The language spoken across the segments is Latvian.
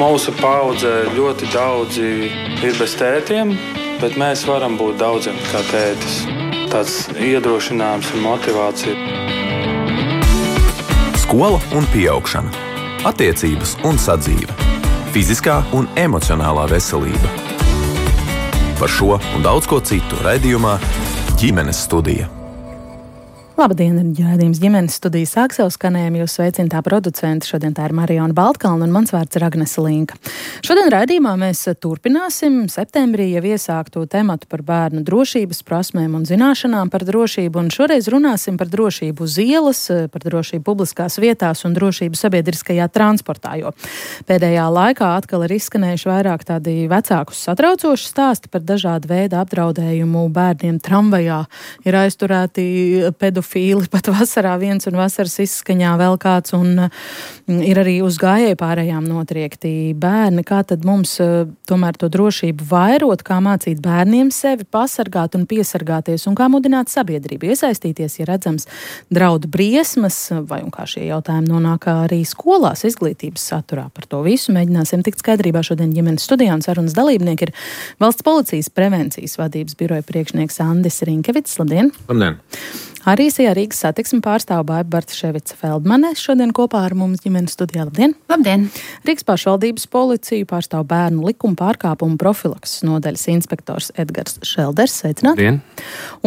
Mūsu paudze ļoti daudzi ir bez tētiem, bet mēs varam būt daudziem kā tētis. Tāds iedrošinājums un motivācija. Skola un pieaugšana, attiecības un sadzīve, fiziskā un emocionālā veselība. Par šo un daudz ko citu raidījumā Ģimenes studija. Labdien, raidījums Ģimenes studija sāk savu skanējumu. Jūs sveicinātā producenta. Šodien tā ir Mariona Baltkalna un mans vārds ir Agnese Linka. Šodien raidījumā mēs turpināsim septembrī jau iesākto tematu par bērnu drošības prasmēm un zināšanām par drošību. Un šoreiz runāsim par drošību uz ielas, par drošību publiskās vietās un drošību sabiedriskajā transportā. Jo pēdējā laikā atkal ir izskanējuši vairāk tādi vecākus satraucoši stāsti par dažādu veidu apdraudējumu bērniem tramvajā. Ir aizturēti pedofili. Pat vasarā viens un vasaras izskaņā vēl kāds, un ir arī uz gājēju pārējām notriekti bērni. Kā tad mums tomēr to drošību vairot, kā mācīt bērniem sevi pasargāt un piesargāties, un kā mudināt sabiedrību iesaistīties, ja redzams draudu briesmas, vai un kā šie jautājumi nonāk arī skolās izglītības saturā. Par to visu mēģināsim tikt skaidrībā šodien Ģimenes studijā, un sarunas dalībnieki ir Valsts policijas prevencijas vadības biroja priekšnieks Andis Rinkevits. Labdien! Labdien! Arī Rīgas satiksmi pārstāv Baiba Bartaševica Feldmane šodien kopā ar mums Ģimenes studijā. Labdien! Labdien! Rīgas pašvaldības policiju pārstāv bērnu likuma pārkāpumu profilakses nodaļas inspektors Edgars Šelders. Sveicināti! Labdien!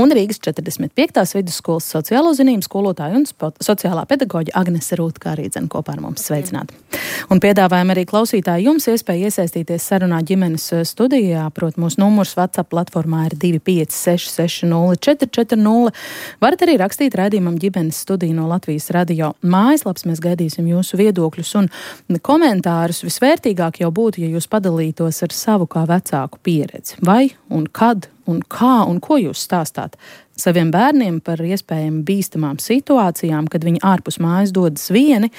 Un Rīgas 45. vidusskolas sociālo zinību skolotāja un sociālā pedagoģa Agnese Rūtka arī kopā ar mums. Sveicināti! Un piedāvājam arī klausītāji jums iespēju iesaistīties sarunā Ģimenes studijā. Prot, mūsu numurs WhatsApp platformā ir 256 60 440. Varat arī rakstīt raidījumam Ģimenes studiju no Latvijas radio mājaslapas. Mēs gaidīsim jūsu viedokļus un komentārus. Visvērtīgāk jau būtu, ja jūs padalītos ar savu kā vecāku pieredzi. Vai un kad un kā un ko jūs stāstāt saviem bērniem par iespējami bīstamām situācijām, kad viņi ārpus mājas dodas vieni.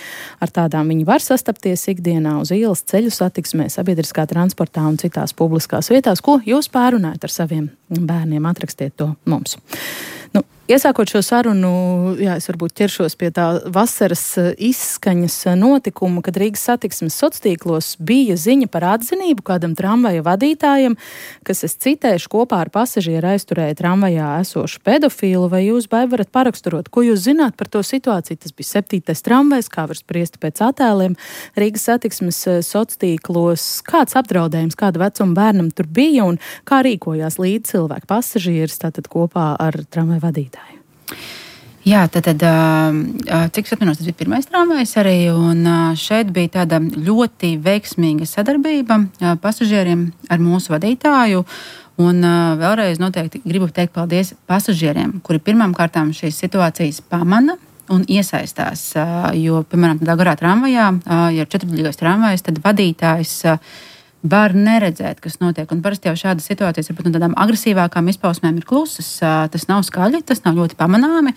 Ar tādām viņi var sastapties ikdienā uz ielas, ceļu satiksmē, sabiedriskā transportā un citās publiskās vietās. Ko jūs pārunājat ar saviem bērniem? Atrakstiet to mums. Iesākot šo sarunu, es varbūt ķeršos pie tā vasaras izskaņas notikuma, kad Rīgas satiksmes sociālos bija ziņa par atzinību kādam tramvaja vadītājam, kas, es citēšu, kopā ar pasažieru aizturēja tramvajā esošu pedofilu. Vai jūs, Baiba, varat paraksturot, ko jūs zināt par to situāciju? Tas bija 7. tramvajs, kā var spriest pēc attēliem Rīgas satiksmes sociālos. Kāds apdraudējums, kāda vecuma bērnam tur bija un kā rīkojās līdz cilvēku pasažieris tātad kopā ar tramvaju vadītāju? Jā, tad cik atminos, tas bija 1. tramvajs arī, un šeit bija tāda ļoti veiksmīga sadarbība pasažieriem ar mūsu vadītāju, un vēlreiz noteikti gribu teikt paldies pasažieriem, kuri pirmām kārtām šīs situācijas pamana un iesaistās, jo, piemēram, tādā garā tramvajā, ja ir 4-daļīgais tramvajs, tad vadītājs var neredzēt, kas notiek. Un parasti jau šādas situācijas ar tādām agresīvākām izpausmēm ir klusas. Tas nav skaļi, tas nav ļoti pamanāmi.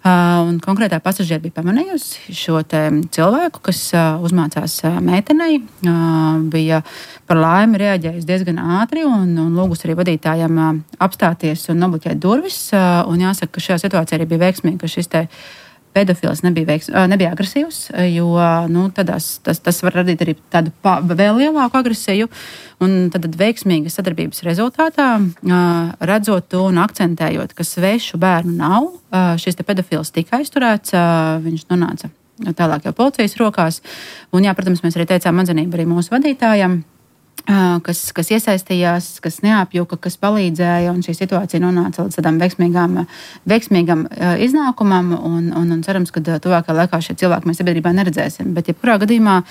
Un konkrētā pasažieri bija pamanījusi šo te cilvēku, kas uzmācās meitenei. Bija par laimi reaģējusi diezgan ātri un lūgus arī vadītājiem apstāties un nobloķēt durvis. Un jāsaka, ka šajā situācijā arī bija veiksmīgi, ka šis te pedofils nebija agresīvs, jo tas var radīt arī tādu vēl lielāku agresiju. Un tad veiksmīgas sadarbības rezultātā, redzot un akcentējot, ka svešu bērnu nav, šis te pedofils tika aizturēts, viņš nonāca tālāk jau policijas rokās. Un, jā, protams, mēs arī teicām atzinību arī mūsu vadītājam, kas iesaistījās, kas neapjuka, kas palīdzēja, un šī situācija nonāca līdz tādām veiksmīgam iznākumam, un cerams, ka tuvākajā laikā šie cilvēki mēs sabiedrībā neredzēsim. Bet, jebkurā gadījumā,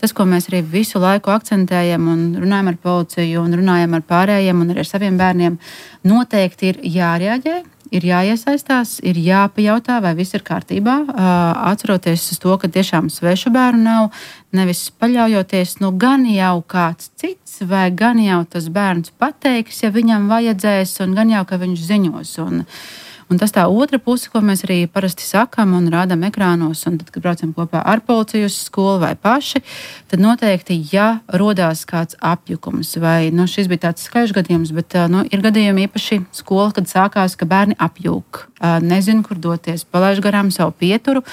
tas, ko mēs arī visu laiku akcentējam un runājam ar policiju un runājam ar pārējiem un arī ar saviem bērniem, noteikti ir jārēģē, ir jāiesaistās, ir jāpajautā, vai viss ir kārtībā, atceroties uz to, ka tiešām svešu bērnu nav, nevis paļaujoties, gan jau kāds cits, vai gan jau tas bērns pateiks, ja viņam vajadzēs, un gan jau, ka viņš ziņos. Un tas tā otra puse, ko mēs arī parasti sakam un rādām ekrānos, un tad, kad braucam kopā ar policiju uz skolu vai paši, tad noteikti, ja rodās kāds apjukums, vai šis bija tāds skaļš gadījums, bet ir gadījumi īpaši skola, kad sākās, ka bērni apjūk, nezinu, kur doties, palaiž garām savu pieturu,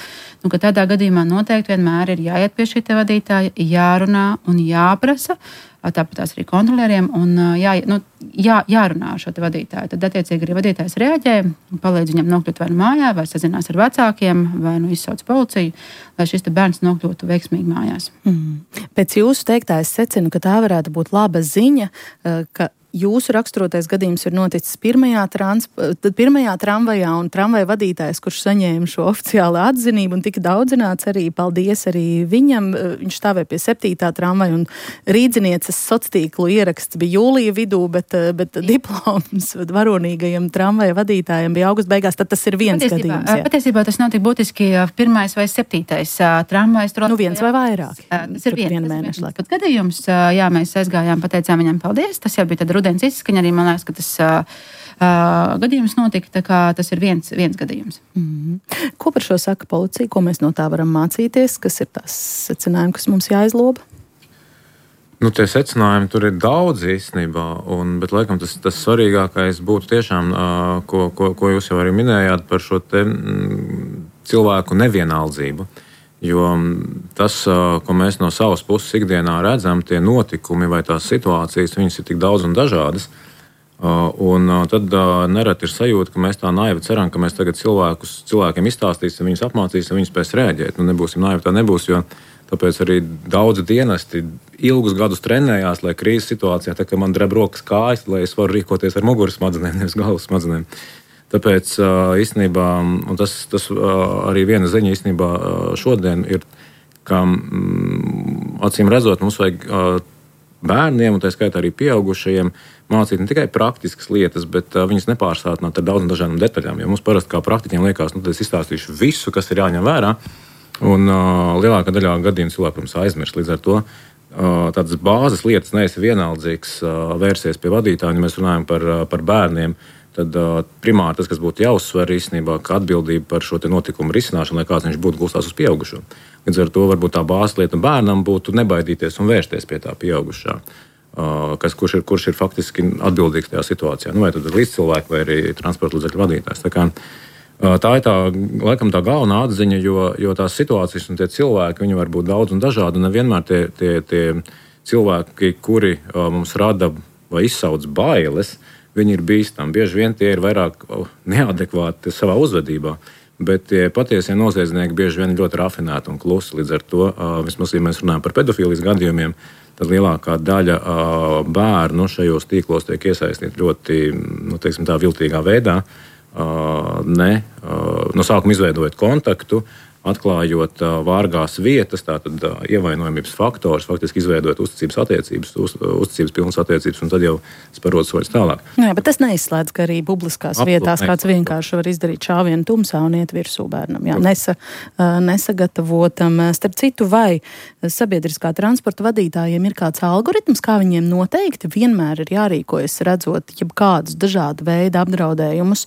ka tādā gadījumā noteikti vienmēr ir jāiet pie šī te vadītāja, jārunā un jāprasa, tāpat tās arī kontrolieriem, un jārunā ar šo te vadītāju. Tad, attiecīgi, arī vadītājs reaģē, palīdz viņam nokļūt vai nu mājā, vai sazinās ar vecākiem, vai nu izsauc policiju, lai šis te bērns nokļūtu veiksmīgi mājās. Pēc jūsu teiktā es secinu, ka tā varētu būt laba ziņa, ka jūsu raksturotais gadījums ir noticis pirmajā tramvajā, un tramvaja vadītājs, kurš saņēma šo oficiālu atzinību un tika daudzināts arī, paldies arī viņam, viņš stāvēja pie 7. tramvaja, un rīdzinieces sociālo ieraksts bija jūlija vidū, bet diploms varonīgajam tramvaja vadītājam bija augusta beigās, tad tas ir viens gadījums. Jā. Patiesībā tas nav tik būtiski 1. vai 7. tramvajs. Viens vai vairāk. Tas ir viens gadījums. Jā, mēs aizgājām, pateicām viņam paldies, tas jau bija tad rudens izskaņa, arī man liekas, ka tas gadījums notika, tā kā tas ir viens gadījums. Ko par šo saka policija? Ko mēs no tā varam mācīties? Kas ir tās secinājumi, kas mums jāizloba? Tie secinājumi tur ir daudz īstenībā, bet laikam tas svarīgākais būtu tiešām, ko jūs jau arī minējāt par šo te cilvēku nevienaldzību. Jo tas, ko mēs no savas puses ikdienā redzam, tie notikumi vai tās situācijas, viņas ir tik daudz un dažādas. Un tad nereti ir sajūta, ka mēs tā naivi ceram, ka mēs tagad cilvēkiem izstāstīsim, viņus apmācīsim, viņus spēs rēģēt. Nebūsim naivi, tā nebūs, jo tāpēc arī daudzi dienesti ilgus gadus trenējās, lai krīzes situācijā, tā kā man dreb rokas kājas, lai es varu rīkoties ar muguras smadzenēm, nevis galvas smadzenēm. Tāpēc īstenībā, un tas arī viena ziņa īstenībā šodien ir, ka acīm redzot, mums vajag bērniem, un tā skaitā arī pieaugušajiem, mācīt ne tikai praktiskas lietas, bet viņas nepārsātināt ar daudzām dažādām detaļām. Jo mums parasti kā praktiķiem liekas, tad es izstāstīšu visu, kas ir jāņem vērā, un lielākā daļā gadījumu cilvēku, protams, aizmirst. Līdz ar to tādas bāzes lietas neesi vienaldzīgs vērsies pie vadītāja, ja mēs runājam par bērniem. Tad primāri tas, kas būtu jāuzsver īstenībā, ka atbildība par šo notikumu risināšanu, lai kāds viņš būtu, gulstās uz pieaugušo. Līdz ar to varbūt tā bāzes lieta bērnam būtu nebaidīties un vērsties pie tā pieaugušā, kurš ir faktiski atbildīgs tajā situācijā. Vai tad līdzcilvēki vai arī transporta līdzekļu vadītājs. Tā ir laikam tā galvenā atziņa, jo tās situācijas un tie cilvēki, viņi var būt daudz un dažādi, un nevienmēr tie cilvēki, kuri mums rada vai izsauc bailes, viņi ir bīstami. Bieži vien tie ir vairāk neadekvāti savā uzvedībā, bet tie patiesie noziedznieki bieži vien ļoti rafinēti un klusi. Līdz ar to, vismaz, ja mēs runājam par pedofīlijas gadījumiem, tad lielākā daļa bērnu šajos tīklos tiek iesaistīti ļoti, tā viltīgā veidā, no sākuma izveidojot kontaktu, atklājot vārgās vietas, tātad ievainojamības faktors, faktiski izveidot uzticības pilnas attiecības, un tad jau sparot soļus tālāk. Jā, bet tas neizslēdz, ka arī publiskās vietās kāds vienkārši var izdarīt šāvienu tumsā un iet virsū bērnam. Jā, nesagatavotam. Starp citu, vai sabiedriskā transporta vadītājiem ir kāds algoritms, kā viņiem noteikti vienmēr ir jārīkojas, redzot jebkādus dažādu veidu apdraudējumus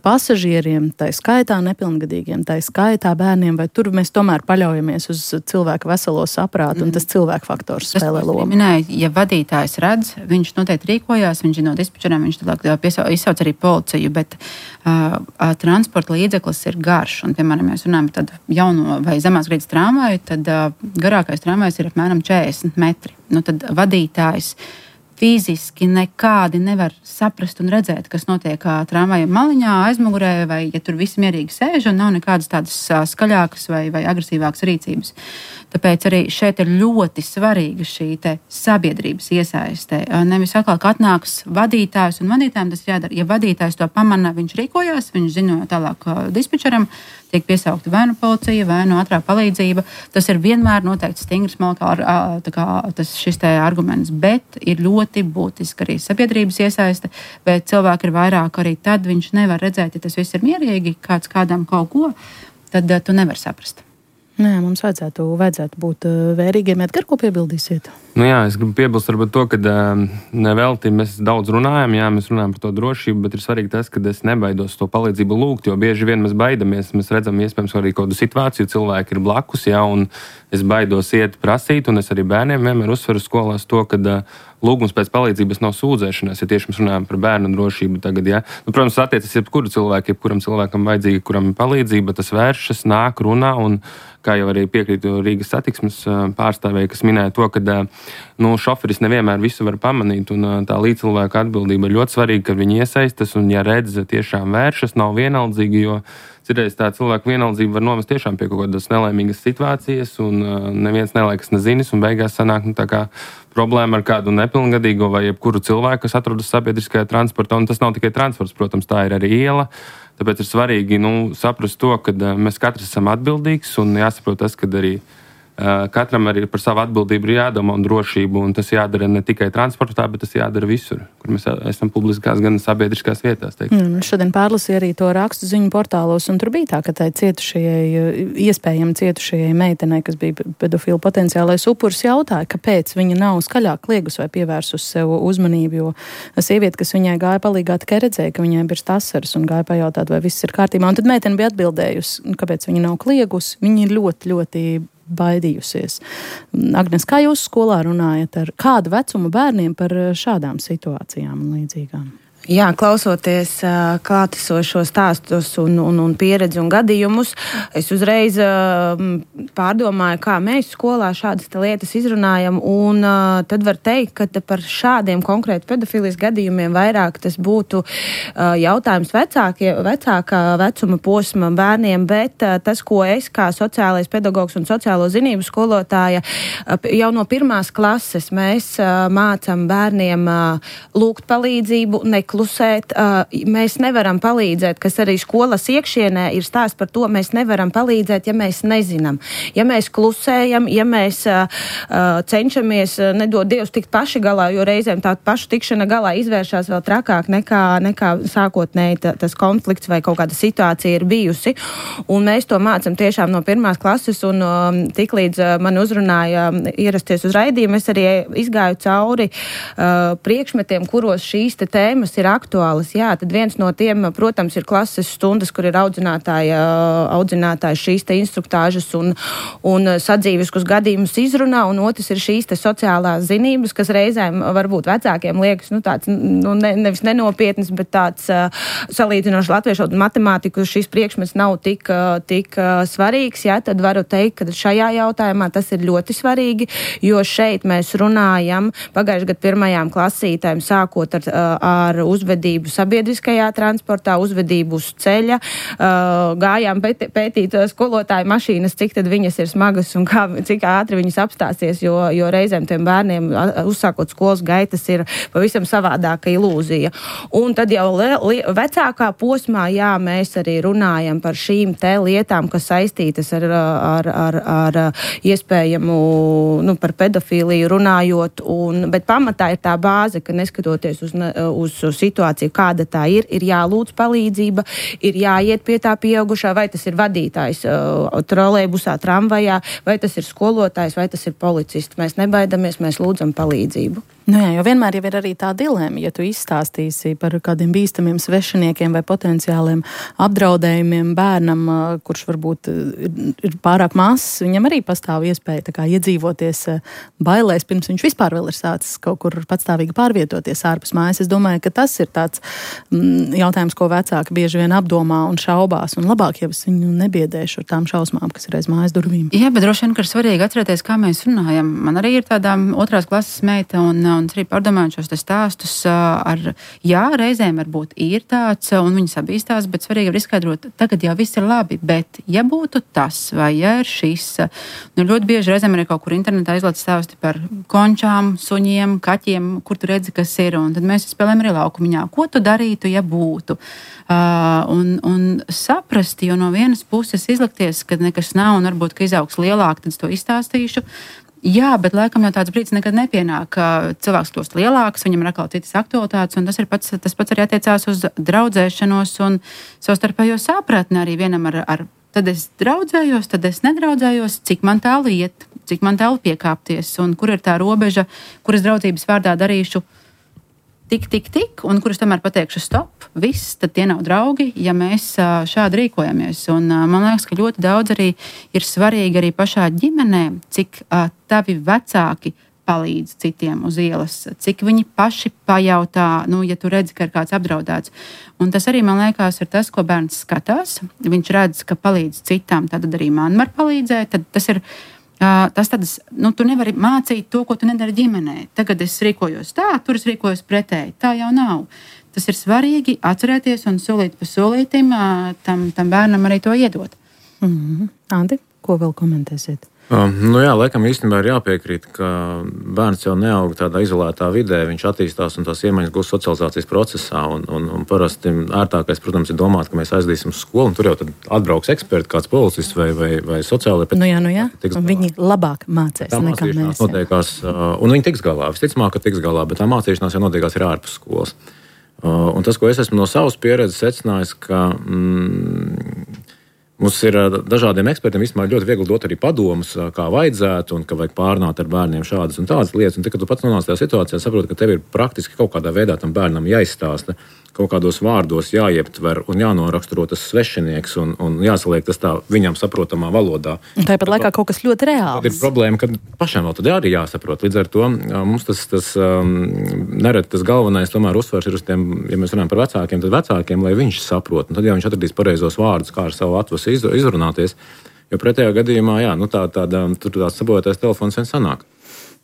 pasažieriem, tai skaitā nepilngadīgiem, tai skaitā bērniem, vai tur mēs tomēr paļaujamies uz cilvēku veselo saprātu, un tas cilvēku faktors spēlē lomu? Minēju, ja vadītājs redz, viņš noteikti rīkojās, viņš no dispečeriem, viņš tālāk izsauc arī policiju, bet transporta līdzeklis ir garš, un, piemēram, mēs runājam par tādu jauno vai zemās grīdas tramvaju, tad garākais tramvajs ir apmēram 40 metri. Tad vadītājs fiziski nekādi nevar saprast un redzēt, kas notiek tramvaja maliņā, aizmugurē, vai ja tur visi mierīgi sēž un nav nekādas tādas skaļākas vai agresīvākas rīcības. Tāpēc arī šeit ir ļoti svarīga šī te sabiedrības iesaiste. Nevis atkal, ka atnāks vadītājs, un vadītājiem tas jādara. Ja vadītājs to pamana, viņš rīkojās, viņš ziņo tālāk dispečeram, tiek piesaukta vai nu policija, vai nu ātrā palīdzība. Tas ir vienmēr noteikti stingrs šis te arguments, bet ir ļoti būtiski arī sabiedrības iesaiste, bet cilvēki ir vairāk arī tad viņš nevar redzēt, ja tas viss ir mierīgi, kāds kādam kaut ko, tad tu nevar saprast. Nē, mums vajadzētu būt vērīgiem. Edgar, ko piebildīsiet? Nu jā, es gribu piebilst varbūt to, ka nevelti mēs daudz runājam, jā, mēs runājam par to drošību, bet ir svarīgi tas, ka es nebaidos to palīdzību lūgt, jo bieži vien mēs baidamies, mēs redzam iespējams arī kādu situāciju, cilvēki ir blakus, jā, un es baidos iet prasīt, un es arī bērniem vienmēr uzsveru skolās to, ka lūgums pēc palīdzības nav sūdzēšanās, ja tieši mēs runājam par bērnu drošību tagad, jā. Nu, protams, attiecas jebkuram cilvēkam vajadzīga, kuram ir palīdzība, tas vēršas, nāk, runā, un kā jau arī piekrītu Rīgas satiksmes pārstāvēji, kas minēja to, ka šoferis nevienmēr visu var pamanīt, un tā līdzcilvēka atbildība ir ļoti svarīga, ka viņi iesaistas, un ja redz, tiešām vēršas, nav vienaldzīgi, jo citreiz tā cilvēku vienaldzība var novest tiešām pie kaut kādas nelēmīgas situācijas, un neviens nelaikas nezinis, un beigās sanāk tā kā problēma ar kādu nepilngadīgo vai jebkuru cilvēku, kas atrodas sabiedriskajā transportā, un tas nav tikai transports, protams, tā ir arī iela. Tāpēc ir svarīgi saprast to, ka mēs katrs esam atbildīgs, un jāsaprot tas, ka arī katram arī par savu atbildību ir jādomā un drošību, un tas jādara ne tikai transportā, bet tas jādara visur, kur mēs esam publiskās, gan sabiedriskās vietās. Šodien pārlasīju arī to rakstu ziņu portālos, un tur bija tā, ka tai iespējami cietušajai meitenei, kas bija pedofilu potenciālais upuris, jautāja, kāpēc viņa nav skaļāk kliegus vai pievērsus sev uzmanību, jo sieviete, kas viņai gāja palīgā, tikai redzēja, ka viņai birst asaras un gāja pajautāt, vai viss ir kārtībā. Un tad meitene bija atbildējusi, kāpēc viņa nav kliegus. Viņa ir ļoti, ļoti baidījusies. Agnes, kā jūs skolā runājat ar kādu vecumu bērniem par šādām situācijām un līdzīgām? Jā, klausoties klātesošo stāstus un pieredzi un gadījumus, es uzreiz pārdomāju, kā mēs skolā šādas lietas izrunājam, un tad var teikt, ka par šādiem konkrēti pedofilijas gadījumiem vairāk tas būtu jautājums vecākā vecuma posma bērniem, bet tas, ko es kā sociālais pedagogs un sociālo zinību skolotāja jau no 1. klases mēs mācam bērniem lūgt palīdzību, klusēt, mēs nevaram palīdzēt, kas arī skolas iekšienē ir stāsts par to, mēs nevaram palīdzēt, ja mēs nezinām. Ja mēs klusējam, ja mēs cenšamies, nedod Dievs, tikt paši galā, jo reizēm tā pašu tikšana galā izvēršās vēl trakāk nekā sākotnēji tas konflikts vai kaut kāda situācija ir bijusi. Un mēs to mācam tiešām no 1. klases, un tiklīdz mani uzrunāja ierasties uz raidījumu, es arī izgāju cauri priekšmetiem, kuros šīs tēmas ir aktuālas. Jā, tad viens no tiem, protams, ir klases stundas, kur ir audzinātāji šīs instruktāžas un sadzīviskus gadījumus izrunā, un otrs ir šīs sociālās zinības, kas reizēm varbūt vecākiem liekas, tāds, nevis nenopietnas, bet tāds salīdzinoši latviešu matemātiku šīs priekšmets nav tik svarīgs, jā, tad varu teikt, ka šajā jautājumā tas ir ļoti svarīgi, jo šeit mēs runājam pagājušajā gadu 1. klasītēm, sākot ar uzvedību sabiedriskajā transportā, uzvedību uz ceļa, gājām pētīt skolotāju mašīnas, cik tad viņas ir smagas un cik ātri viņas apstāsies, jo reizēm tiem bērniem, uzsākot skolas gaitas, ir pavisam savādāka ilūzija. Un tad jau vecākā posmā, jā, mēs arī runājam par šīm lietām, kas saistītas ar iespējamu, par pedofīliju runājot, bet pamatā ir tā bāze, ka neskatoties uz situāciju, kāda tā ir jālūdz palīdzība, ir jāiet pie tā pieaugušā, vai tas ir vadītājs trolejbusā, tramvajā, vai tas ir skolotājs, vai tas ir policists. Mēs nebaidamies, mēs lūdzam palīdzību. Jā, jo vienmēr jau ir arī tā dilēma, ja tu izstāstīsi par kādiem bīstamiem svešiniekiem vai potenciāliem apdraudējumiem bērnam, kurš varbūt ir pārāk mazs, viņam arī pastāv iespēja tā kā iedzīvoties bailēs, pirms viņš vispār vēl ir sācis kaut kur patstāvīgi pārvietoties ārpus mājas. Es domāju, ka tas ir tāds jautājums, ko vecāki bieži vien apdomā un šaubās, un labāk jau es viņu nebiedēšu ar tām šausmām, kas ir aiz mājas durvīm. Jā, bet droši vien, ka ir svarīgi atcerēties, kā mēs runājam. Man arī ir tāda 2. klases meita, un arī pārdomājot šos stāstus jā, reizēm varbūt ir tāds, un viņi sabīstās, bet svarīgi ir izskaidrot, tagad jau viss ir labi, bet ja būtu tas, vai ja ir šis, ļoti bieži reizēm arī kaut kur internetā izlaiž stāsti par končām, suņiem, kaķiem, kur tu redzi, kas ir, un tad mēs spēlējam arī laukumiņā. Ko tu darītu, ja būtu? Un saprast, jo no vienas puses izlikties, ka nekas nav, un varbūt, ka izaugs lielāk, tad es to izstāstīšu. Jā, bet laikam jau tāds brīdis nekad nepienāk, ka cilvēks kļūst lielāks, viņam ir atkal citas aktualitātes, un tas pats arī attiecās uz draudzēšanos un savstarpējo sapratni arī vienam ar tad es draudzējos, tad es nedraudzējos, cik man tālu iet, cik man tālu piekāpties, un kur ir tā robeža, kuras draudzības vārdā darīšu tik, un kurus tomēr pateikšu stop, viss, tad tie nav draugi, ja mēs šādi rīkojamies. Un man liekas, ka ļoti daudz arī ir svarīgi arī pašā ģimenē, cik tavi vecāki palīdz citiem uz ielas, cik viņi paši pajautā, ja tu redzi, ka ir kāds apdraudēts. Un tas arī, man liekas, ir tas, ko bērns skatās. Viņš redz, ka palīdz citām, tad arī man var palīdzēt. Tad tas ir tu nevari mācīt to, ko tu nedari ģimenē. Tagad es rīkojos tā, tur es rīkojos pretēji. Tā jau nav. Tas ir svarīgi atcerēties un solīt pa solītim tam bērnam arī to iedot. Andi, ko vēl komentēsiet? Laikam īstenībā ir jāpiekrīt, ka bērns jau neaug tādā izolētā vidē, viņš attīstās un tās iemaņas gūst socializācijas procesā. Un parasti ērtākais, protams, ir domāt, ka mēs aizdīsim uz skolu, un tur jau tad atbrauks eksperti, kāds policists vai sociālai. Jā. Un viņi labāk mācīs nekā mēs. Notiekās, un viņi tiks galā, visticamāk, ka tiks galā, bet tā mācīšanās jau notiekās ir ārpus skolas. Un tas, ko es esmu no savas pieredzes secinājis, ka mums ir dažādiem ekspertiem īstenībā ļoti viegli dot arī padomus, kā vajadzētu, un ka vajag pārnāt ar bērniem šādas un tādas lietas. Un tad, kad tu pats nonāc tajā situācijā, saproti, ka tev ir praktiski kaut kādā veidā tam bērnam jāizstāsta, kaut kādos vārdos jāieptver un jānoraksturo tas svešinieks un jāsaliek tas tā viņam saprotamā valodā. Un tāpat laikā kaut kas ļoti reāls. Tad ir problēma, ka pašam vēl tad arī jāsaprot. Līdz ar to mums tas nereti tas galvenais tomēr uzsvars ir uz tiem, ja mēs runājam par vecākiem, tad vecākiem, lai viņš saprot. Un tad, ja viņš atradīs pareizos vārdus, kā ar savu atvasu izrunāties, jo pretējā gadījumā, tāds sabojātais telefons vien sanāk.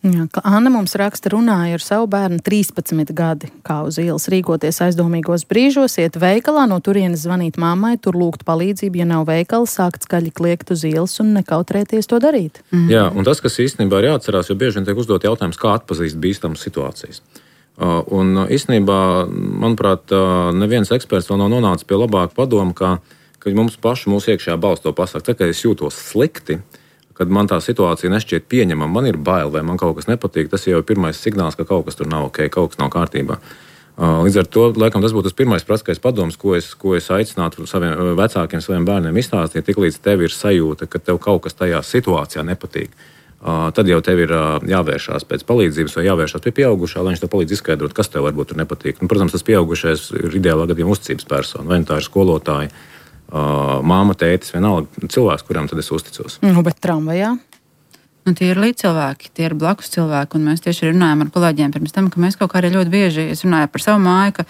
Jā, Anna mums raksta, runāja ar savu bērnu 13 gadi, kā uz ielas rīkoties aizdomīgos brīžos, iet veikalā, no turienes zvanīt mammai, tur lūgt palīdzību, ja nav veikala, sākt skaļi kliegt uz ielas un nekautrēties to darīt. Jā, un tas, kas īstenībā ir jāatcerās, jo bieži vien tiek uzdot jautājums, kā atpazīst bīstamas situācijas. Un īstenībā, manuprāt, neviens eksperts vēl nav nonācis pie labāka padoma, ka mums paši mūsu iekšējā balss to pasaka, ka es jūtos slikti, kad man tā situācija nešķiet pieņemama, man ir bail vai man kaut kas nepatīk, tas jau ir pirmais signāls, ka kaut kas tur nav ok, kaut kas nav kārtībā. Līdz ar to, laikam, tas būtu tas pirmais praktiskais padoms, ko es aicinātu saviem vecākiem, saviem bērniem izstāstīt, tik līdz tev ir sajūta, ka tev kaut kas tajā situācijā nepatīk. Tad jau tev ir jāvēršās pēc palīdzības vai jāvēršās pie pieaugušā, lai viņš tev palīdz izskaidrot, kas tev varbūt tur nepatīk. Un, protams, tas pieaugušais ir ideālā gadījumā uzticības persona, vai tā ir skolotāja, māma, tētis, vienalga cilvēks, kuram tad es uzticos. Bet tramvajā? Tie ir līdzcilvēki, tie ir blakus cilvēki, un mēs tieši runājam ar kolēģiem pirms tam, ka mēs kaut kā arī ļoti bieži, es runāju par savu māju, ka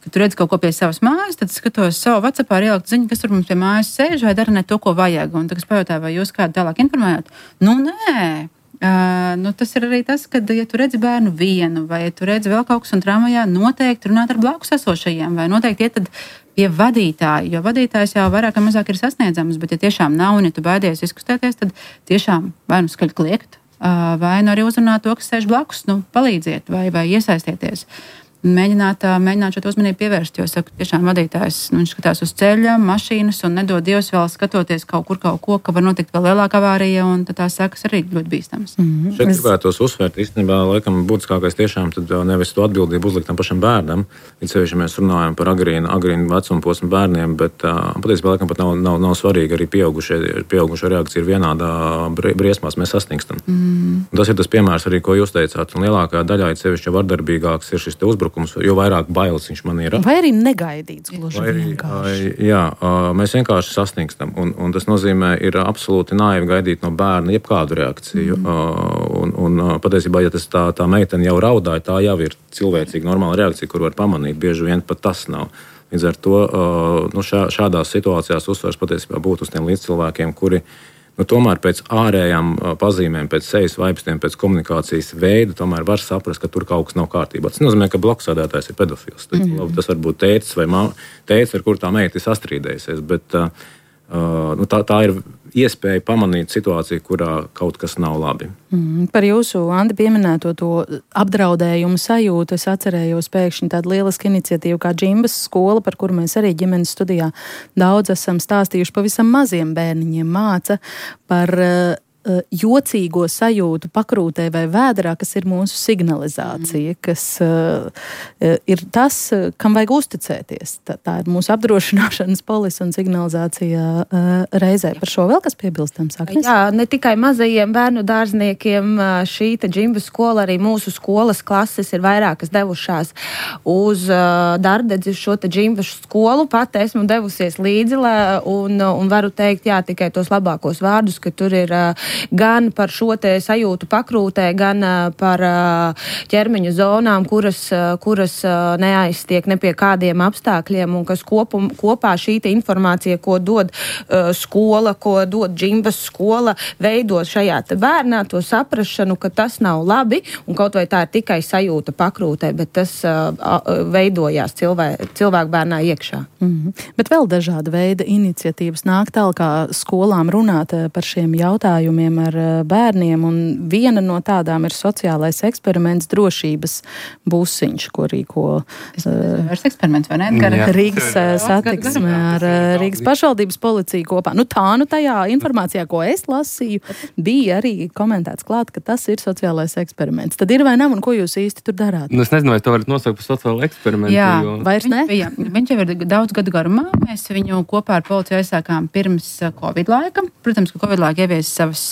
tu redz kaut ko pie savas mājas, tad skatos savu WhatsAppā ielikt ziņu, kas tur mums pie mājas sēž vai dara ne to, ko vajag. Un tad es pajautāju, vai jūs kādu tālāk informējat? Nē. Tas ir arī tas, ka, ja tu redzi bērnu vienu, vai ja tu redzi vēl kaut kas un tramvajā, noteikti runāt ar blakus esošajiem, vai noteikti iet tad pie vadītāja, jo vadītājs jau vairāk vai mazāk ir sasniedzams, bet ja tiešām nav un ja tu baidies izkustēties, tad tiešām vai nu skaļi kliegt, vai nu arī uzrunāt to, kas sēž blakus, palīdziet vai iesaistieties. Mēģināt šo uzmanību pievērst, jo, saku, tiešām vadītājs, viņš skatās uz ceļa, mašīnas un nedod Dievs vēl skatoties kaut ko, ka var notikt vēl lielāka avārija, un tad tās sekas arī ļoti bīstamas. Šeit gribētos uzsvērt, īstenībā, laikam, būtiskākais tiešām tad nevis to atbildību uzlikt tam pašam bērnam, it sevišķi mēs runājam par agrīnu vecuma posmu bērniem, bet patiesībā, laikam, pat nav svarīgi arī pieaugušo reakcija ir vienādā briesmās, mēs sasnigstam. Tas ir tas piemērs arī, ko jūs teicāt, un lielākā daļā, it sevišķi vardarbīgāks ir šis te uzbrukums, jo vairāk bailes viņš man ir. Vai arī negaidīts gluži vienkārši. Jā, mēs vienkārši sasnigstam, un tas nozīmē, ir absolūti naivi gaidīt no bērna jebkādu reakciju. Un patiesībā, ja tas tā meitene jau raudāja, tā jau ir cilvēcīga normāla reakcija, kur var pamanīt, bieži vien pat tas nav. Līdz ar to šādās situācijās uzsvars patiesībā būtu uz tiem līdzcilvēkiem, kuri tomēr pēc ārējām pazīmēm, pēc sejas vaipstiem, pēc komunikācijas veida, tomēr var saprast, ka tur kaut kas nav kārtībā. Tas nozīmē, ka blakusēdētājs ir pedofils. Tas var būt tētis vai tētis, ar kur tā meita ir sastrīdējusies, bet tā ir iespēja pamanīt situāciju, kurā kaut kas nav labi. Par jūsu, Andi, pieminēto to apdraudējumu sajūtu, es atcerējos pēkšņi tādu lielisku iniciatīvu kā Džimbas skola, par kuru mēs arī ģimenes studijā daudz esam stāstījuši pavisam maziem bērniņiem, māca par jocīgo sajūtu pakrūtē vai vēderā, kas ir mūsu signalizācija, kas ir tas, kam vajag uzticēties. Tā ir mūsu apdrošināšanas polise un signalizācija reizē. Par šo vēl kas piebilstams, Agnes? Jā, ne tikai mazajiem bērnu dārzniekiem šī džimba skola, arī mūsu skolas klases ir vairākas devušās uz Dārdedzi šo džimba skolu. Pat esmu devusies līdzi un varu teikt, jā, tikai tos labākos vārdus, ka tur ir gan par šo te sajūtu pakrūtē, gan par ķermeņa zonām, kuras neaiztiek ne pie kādiem apstākļiem un kas kopā šī te informācija, ko dod skola, ko dod džimbas skola, veido šajā te bērnā to saprašanu, ka tas nav labi un kaut vai tā ir tikai sajūta pakrūtē, bet tas veidojās cilvēku bērnā iekšā. Bet vēl dažāda veida iniciatīvas nāk tālāk kā skolām runāt par šiem jautājumiem ar bērniem, un viena no tādām ir sociālais eksperiments drošības busiņš, ko rīko eksperiments, vai ne? Rīgas satiksme ar Rīgas pašvaldības policiju kopā. Tajā informācijā, ko es lasīju, bija arī komentēts klāt, ka tas ir sociālais eksperiments. Tad ir vai nav, un ko jūs īsti tur darāt? Es nezinu, vai to varat nosaukt par sociālo eksperimentu. Jā, vairs ne? Viņš jau ir daudz gadu garumā. Mēs viņu kopā ar policiju aizsākām pirms Covid laika. Protams, ka Covid laika ievies savas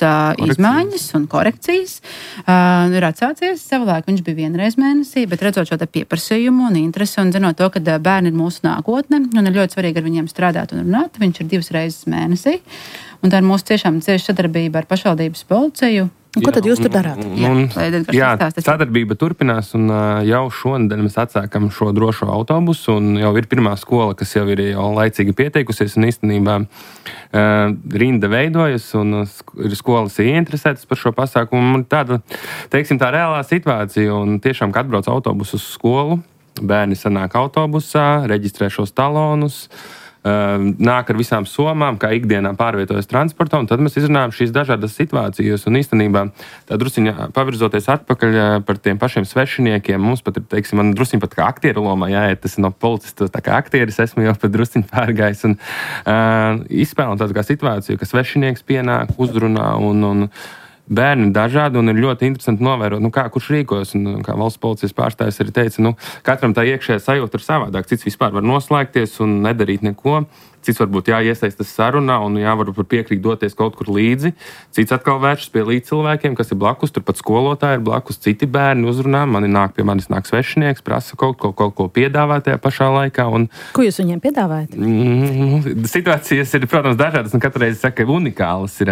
izmaiņas un korekcijas. Ir atsācies savulaik, viņš bija vienreiz mēnesī, bet redzot šo pieprasījumu un interesi un zinot to, ka bērni ir mūsu nākotne un ir ļoti svarīgi ar viņiem strādāt un runāt, viņš ir 2 reizes mēnesī. Un tā ir mūsu tiešām cieša sadarbība ar pašvaldības policiju. Un ko tad jūs tur darāt? Sadarbība turpinās, un jau šonadēļ mēs atsākam šo drošo autobusu, un jau ir pirmā skola, kas jau ir jau laicīgi pieteikusies, un īstenībā rinda veidojas, un ir skolas ieinteresētas par šo pasākumu. Un tāda, teiksim, tā reālā situācija, un tiešām, kad atbrauc autobusu uz skolu, bērni sanāk autobusā, reģistrē šos talonus, nāk ar visām somām, kā ikdienā pārvietojas transportā, un tad mēs izrunājam šīs dažādas situācijas, un īstenībā tā drusiņā pavirzoties atpakaļ par tiem pašiem svešiniekiem, mums pat ir, teiksim, man drusiņ pat kā aktieru lomā jāiet, tas no policista, tā kā aktieris esmu jau pat drusiņ pārgājis, un izspēlam tādu kā situāciju, ka svešinieks pienāk, uzrunā, un bērni dažādi, un ir ļoti interesanti novērot, kurš rīkojas, un kā valsts policijas pārstāvis arī teica, katram tā iekšējā sajūta ir savādāk, cits vispār var noslēgties un nedarīt neko, cits varbūt jāiesaistas sarunā un varbūt piekrīt doties kaut kur līdzi, cits atkal vēršas pie līdzcilvēkiem, kas ir blakus, turpat skolotāji ir blakus, citi bērni uzrunā, pie manis nāk svešinieks, prasa kaut ko piedāvāt tajā pašā laikā. Un ko jūs viņiem piedāvājat? Situācijas ir, protams, dažādas, un katru reizi saka, unikālas ir.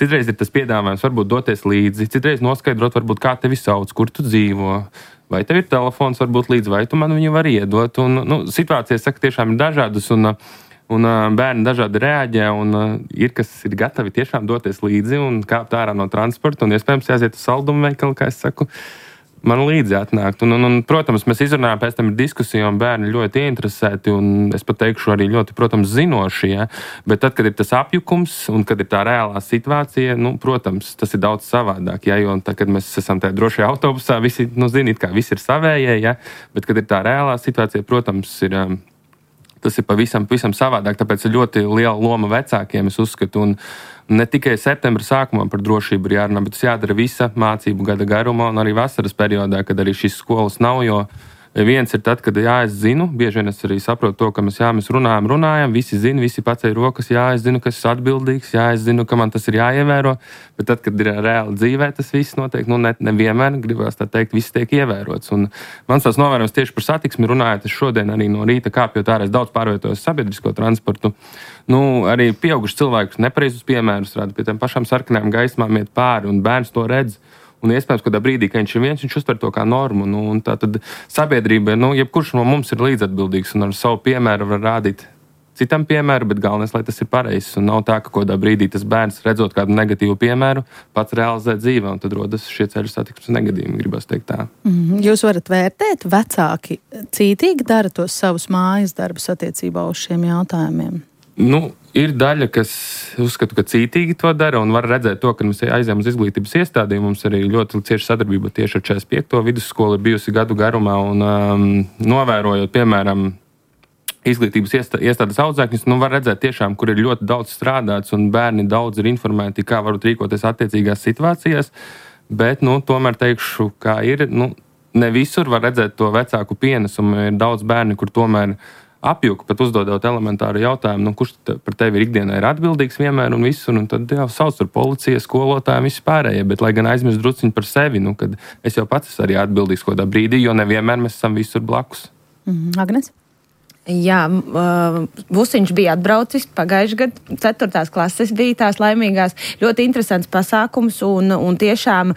Citreiz ir tas piedāvājums varbūt doties līdzi, citreiz noskaidrot, varbūt kā tevi sauc, kur tu dzīvo. Vai tev ir telefons, varbūt līdzi, vai tu man viņu vari iedot. Un, situācijas, saka, tiešām ir dažādas, un bērni dažādi reaģē, un ir, kas ir gatavi tiešām doties līdzi un kāpt ārā no transporta, un iespējams jāiet uz saldumu veikalu, kā es saku, man līdzi atnākt. Un, protams, mēs izrunājam, pēc tam ir diskusija, un bērni ļoti ieinteresēti, un es pat teikšu arī ļoti, protams, zinoši, ja? Bet tad, kad ir tas apjukums, un kad ir tā reālā situācija, protams, tas ir daudz savādāk, ja? Jo tad, kad mēs esam tajā drošajā autobusā, visi, zini, kā visi ir savējie, ja? Bet, kad ir tā reālā situācija, protams, tas ir pavisam savādāk, tāpēc ir ļoti liela loma vecākiem, es uzskatu, un ne tikai septembra sākumā par drošību ir jārunā, bet tas jādara visa mācību gada garumā un arī vasaras periodā, kad arī šīs skolas nav, jo viens ir tad, kad es zinu, bieži vien es arī saprotu to, ka mēs runājam, visi zina, visi paceļ rokas, es zinu, ka esmu atbildīgs, es zinu, ka man tas ir jāievēro, bet tad, kad ir reāli dzīvē, tas viss notiek, nevienmēr gribās tā teikt, viss tiek ievērots. Un mans tās novērojums tieši par satiksmi runājot, es šodien arī no rīta kāpjot ārā, es daudz pārvietojos sabiedrisko transportu, arī pieauguši cilvēkus nepareizus piemērus rāda, pie tiem pašām sarkanām gaismām iet pāri, un bērns to redz. Un iespējams, kādā brīdī, kad viņš ir viens, viņš uztver to kā normu. Un tā tad sabiedrība, jebkurš no mums ir līdzatbildīgs un ar savu piemēru var rādīt citam piemēru, bet galvenais, lai tas ir pareizs. Un nav tā, ka kādā brīdī tas bērns, redzot kādu negatīvu piemēru, pats realizē dzīvē, un tad rodas šie ceļu satiksmes negadījumi, gribas teikt tā. Jūs varat vērtēt, vecāki cītīgi dara tos savus mājas darbus attiecībā uz šiem jautājumiem? Ir daļa, kas uzskatu, ka cītīgi to dara, un var redzēt to, ka mēs aizējām uz izglītības iestādēm. Mums arī ļoti cieša sadarbība tieši ar 45. vidusskolu ir bijusi gadu garumā, un novērojot, piemēram, izglītības iestādes audzēkņus, var redzēt tiešām, kur ir ļoti daudz strādāts un bērni daudz ir informēti, kā varbūt rīkoties attiecīgās situācijās, bet, tomēr teikšu, kā ir, ne visur var redzēt to vecāku pienesumu, ir daudz bērni, kur tomēr apjuka, pat uzdodot elementāru jautājumu, kurš par tevi ir ikdienā ir atbildīgs vienmēr un visu, un tad jau sauc tur policija, skolotāji, visi pārējie, bet lai gan aizmirst drusciņu par sevi, kad es jau pats esmu arī atbildīgs kādā brīdī, jo nevienmēr mēs esam visur blakus. Agnes? Jā, Busiņš bija atbraucis pagājušajā gadā, 4. klases bija tās laimīgās, ļoti interesants pasākums un tiešām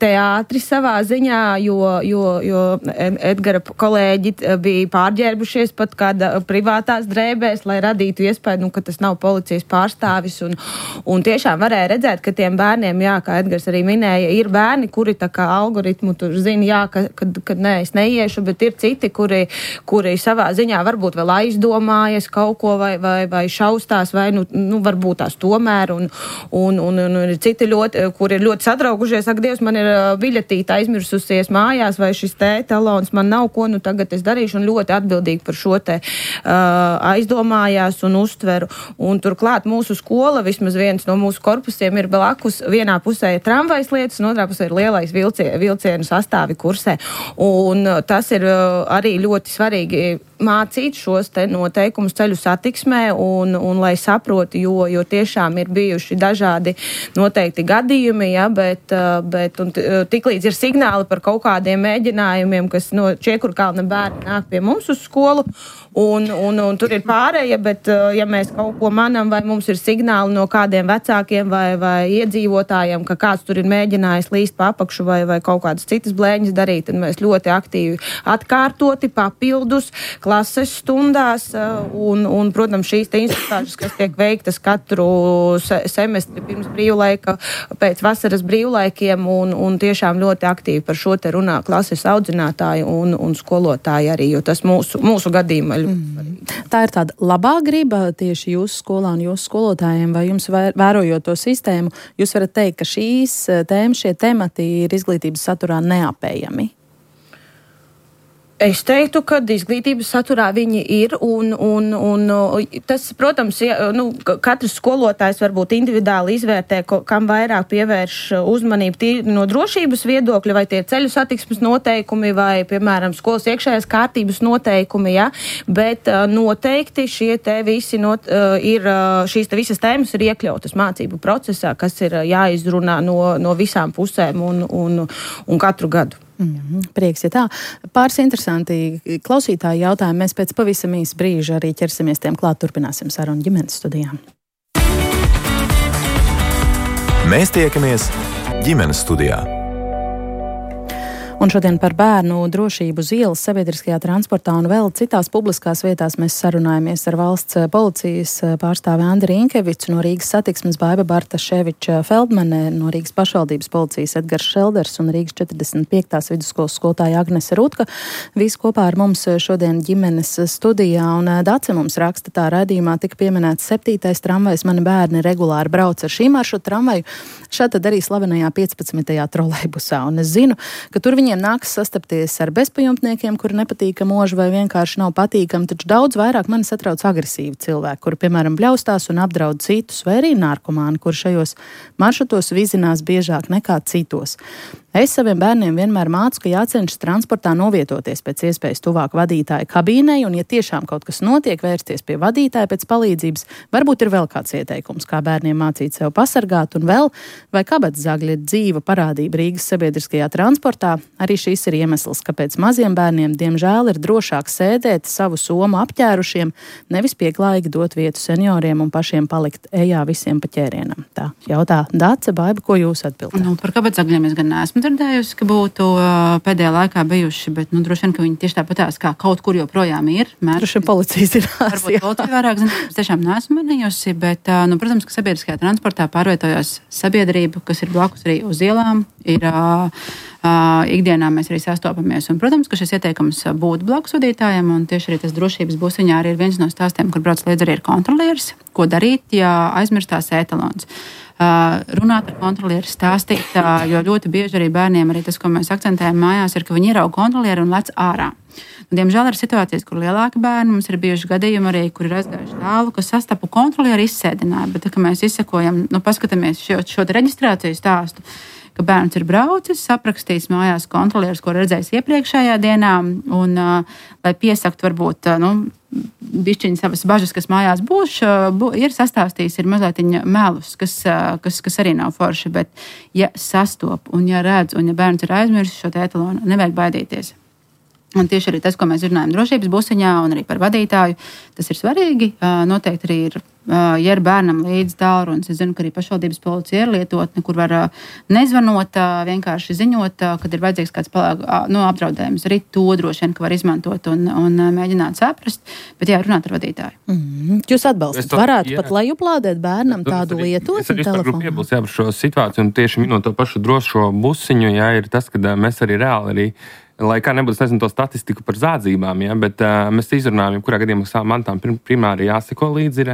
teātri savā ziņā, jo Edgara kolēģi bija pārģērbušies pat kāda privātās drēbēs, lai radītu iespēju, ka tas nav policijas pārstāvis un tiešām varēja redzēt, ka tiem bērniem, jā, kā Edgars arī minēja, ir bērni, kuri tā kā algoritmu tur zina, jā, kad nē, es neiešu, bet ir citi, kuri savā ziņā varbūt vēl aizdomājas kaut ko vai šaustās, vai varbūt tās tomēr, un ir citi kuri ir ļoti satraukušies, ak, Dievs, man ir biļetīte aizmirsusies mājās, vai šis talons man nav, ko tagad es darīšu, un ļoti atbildīgi par šo aizdomājās un uztveru. Un turklāt mūsu skola, vismaz viens no mūsu korpusiem ir blakus, vienā pusē ir tramvajas lietas, un otrā pusē ir lielais vilcienu sastāvi kursē. Un tas ir arī ļoti svarīgi mācīt šos te noteikumus ceļu satiksmē un lai saproti, jo tiešām ir bijuši dažādi noteikti gadījumi, ja, bet tiklīdz ir signāli par kaut kādiem mēģinājumiem, kas no Čiekurkalna bērni nāk pie mums uz skolu, un tur ir pārēja, bet ja mēs kaut ko manam, vai mums ir signāli no kādiem vecākiem vai iedzīvotājiem, ka kāds tur ir mēģinājis līst pa apakšu vai kaut kādas citas blēņas darīt, tad mēs ļoti aktīvi atkārtoti papildus klases stundās un protams, šīs te instruktāžas, kas tiek veiktas katru semestri pirms brīvlaika, pēc vasaras brīvlaikiem un tiešām ļoti aktīvi par šo te runā klases audzinātāji un skolotāji arī, jo tas mūsu gadījumā Tā ir tāda labā griba tieši jūsu skolā un jūsu skolotājiem, vai jums vērojot to sistēmu, jūs varat teikt, ka šīs tēmas, šie temati ir izglītības saturā neapējami? Es teiktu, ka izglītības saturā viņi ir, un tas, protams, katrs skolotājs varbūt individuāli izvērtē, kam vairāk pievērš uzmanību tīri no drošības viedokļa, vai tie ceļu satiksmes noteikumi, vai, piemēram, skolas iekšējās kārtības noteikumi, ja, bet noteikti šie te visi ir, šīs te visas tēmas ir iekļautas mācību procesā, kas ir jāizrunā no visām pusēm un katru gadu. Prieks, ja tā. Pāris interesanti klausītāji jautājumi. Mēs pēc pavisam īsa brīža arī ķersimies tiem klāt, turpināsim sarunu ģimenes studijām. Mēs tiekamies ģimenes studijā. Un šodien par bērnu drošību uz ielas, sabiedriskajā transportā un vēl citās publiskās vietās mēs sarunājamies ar valsts policijas pārstāvi Andi Rīnkevicu, no Rīgas satiksmes Baiba Bartaševiča Feldmane, no Rīgas pašvaldības policijas Edgars Šelders un Rīgas 45. vidusskolas skolotāja Agnese Rutka. Visi kopā ar mums šodien ģimenes studijā, un Dace mums raksta, tā raidījumā tika pieminēts 7. tramvajs, mani bērni regulāri brauc ar šī maršruta tramvaju, šādi arī slavenajā 15. trolejbusā, un es zinu, ka tur viņiem nāks sastapties ar bezpajumtniekiem, kuri nepatīkam mūžu vai vienkārši nav patīkami, taču daudz vairāk mani satrauc agresīvi cilvēki, kuri, piemēram, bļaustās un apdraud citus, vai arī narkomāni, kuri šajos maršrutos vizinās biežāk nekā citos. Es saviem bērniem vienmēr mācu, ka jācenšas transportā novietoties pēc iespējas tuvāk vadītāja kabīnei, un ja tiešām kaut kas notiek, vērsties pie vadītāja pēc palīdzības, varbūt ir vēl kāds ieteikums, kā bērniem mācīt sev pasargāt, un vēl, vai kabatzagļi ir dzīva parādība Rīgas sabiedriskajā transportā. Arī šis ir iemesls, kāpēc maziem bērniem, diemžēl, ir drošāk sēdēt savu somu apķērušiem, nevis pieklājīgi dot vietu senioriem un pašiem palikt ejā visiem pa ķērienam. Tā jautā Dace, Baiba, ko jūs atbildāt? Par kabatzagļiem es gan neesmu dzirdējusi, ka būtu pēdējā laikā bijuši, bet droši vien, ka viņi tieši tāpatās kā kaut kur joprojām ir. Droši vien policija zinās. Varbūt kaut kā vairāk zinās, es tiešām neesmu manījusi, bet, protams, ka sabiedriskajā transportā pārvietojās sabiedrība, kas ir blakus arī uz ielām, ir ikdienā mēs arī sastopamies. Un, protams, ka šis ieteikums būtu blakus vadītājiem, un tieši arī tas drošības busiņā arī ir viens no stāstiem, kur brauc līdz arī ir kontrolieris, ko darīt, ja aizmirstās ētalons. Runāt ar kontrolieri, stāstīt, jo ļoti bieži arī bērniem arī tas, ko mēs akcentējam mājās, ir, ka viņi ierauga kontrolieri un lec ārā. Un, diemžēl ir situācijas, kur lielāki bērni, mums ir bijuši gadījumi arī, kur ir aizgājuši tālu, ka sastapu kontrolieri izsēdināja, bet tā, ka mēs izsekojam, paskatāmies šo reģistrāciju stāstu, ka bērns ir braucis, aprakstījis mājās kontrolieris, ko redzējis iepriekšējā dienā, un lai piesakt varbūt, bišķiņi savas bažas, kas mājās būs, ir sastāstījis, ir mazliet melus, kas arī nav forši, bet ja sastop un ja redz, un ja bērns ir aizmirsis šo etalonu, nevajag baidīties. Un tieši arī tas, ko mēs runājam drošības busiņā un arī par vadītāju, tas ir svarīgi. Noteikti arī ir, ja ir bērnam līdz tālrunis, es zinu, ka arī pašvaldības policija ir lietotne, kur var nezvanot, vienkārši ziņot, kad ir vajadzīgs kāds apdraudējums. Arī to droši vien, ka var izmantot un mēģināt saprast, bet runāt ar vadītāju. Jūs atbalstat, varētu pat lejuplādēt bērnam tādu lietotni telefonu? Es arī gribu piebilst par šo situāciju un tieši minot to pašu drošo busiņu, ir tas, ka mēs arī reāli lai kā nebūtu, nezinu, to statistiku par zādzībām, bet mēs izrunājam, kurā gadījumā savām mantām primāri jāseko līdzi ir,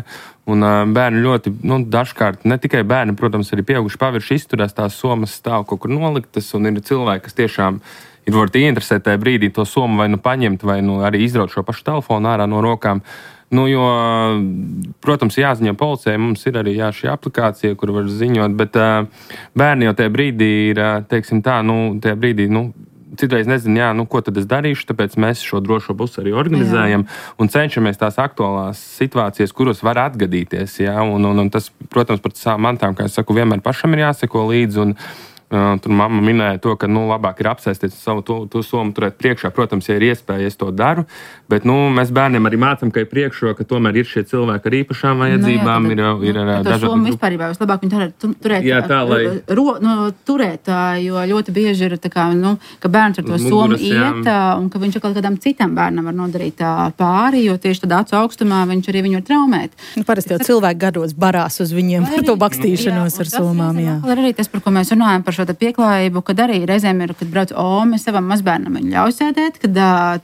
un bērni ļoti, dažkārt, ne tikai bērni, protams, arī pieauguši pavirši izturās, tās somas stāv kaut kur noliktas, un ir cilvēki, kas tiešām ir varbūt ieinteresēti tajā brīdī to somu vai paņemt, vai arī izraut šo pašu telefonu ārā no rokām. Jo, protams, jāziņo policijai, mums ir arī šī aplikācija, kur var ziņot, bet bērni jau tajā brīdī ir, teiksim tā, tajā brīdī, citreiz nezinu, ko tad es darīšu, tāpēc mēs šo drošo busi arī organizējam un cenšamies tās aktuālās situācijas, kuras var atgadīties. Un tas, protams, par savām mantām, kā es saku, vienmēr pašam ir jāseko līdzi. Un tur mamma minēja to, ka labāk ir apsēsties savu to somu turēt priekšā. Protams, ja ir iespēja, es to daru, bet mēs bērniem arī mācam, ka ir priekšroka, ka tomēr ir šie cilvēki ar īpašām vajadzībām. Ir dažādi somu vispārībā vislabāk viņi turēt, turēt, jo ļoti bieži ir tā kā, ka bērns ar to somu iet, un ka viņš kaut kādam citam bērnam var nodarīt pāri, jo tieši tad acu augstumā viņš arī viņu var traumēt. Parasti jau cilvēki gados barās uz viņiem par to bakstīšanos ar somām. Arī tas, par ko mēs runājam, par šo pieklājību, kad arī reizēm ir, kad brauc mēs savam mazbērnam viņu ļauj sēdēt, kad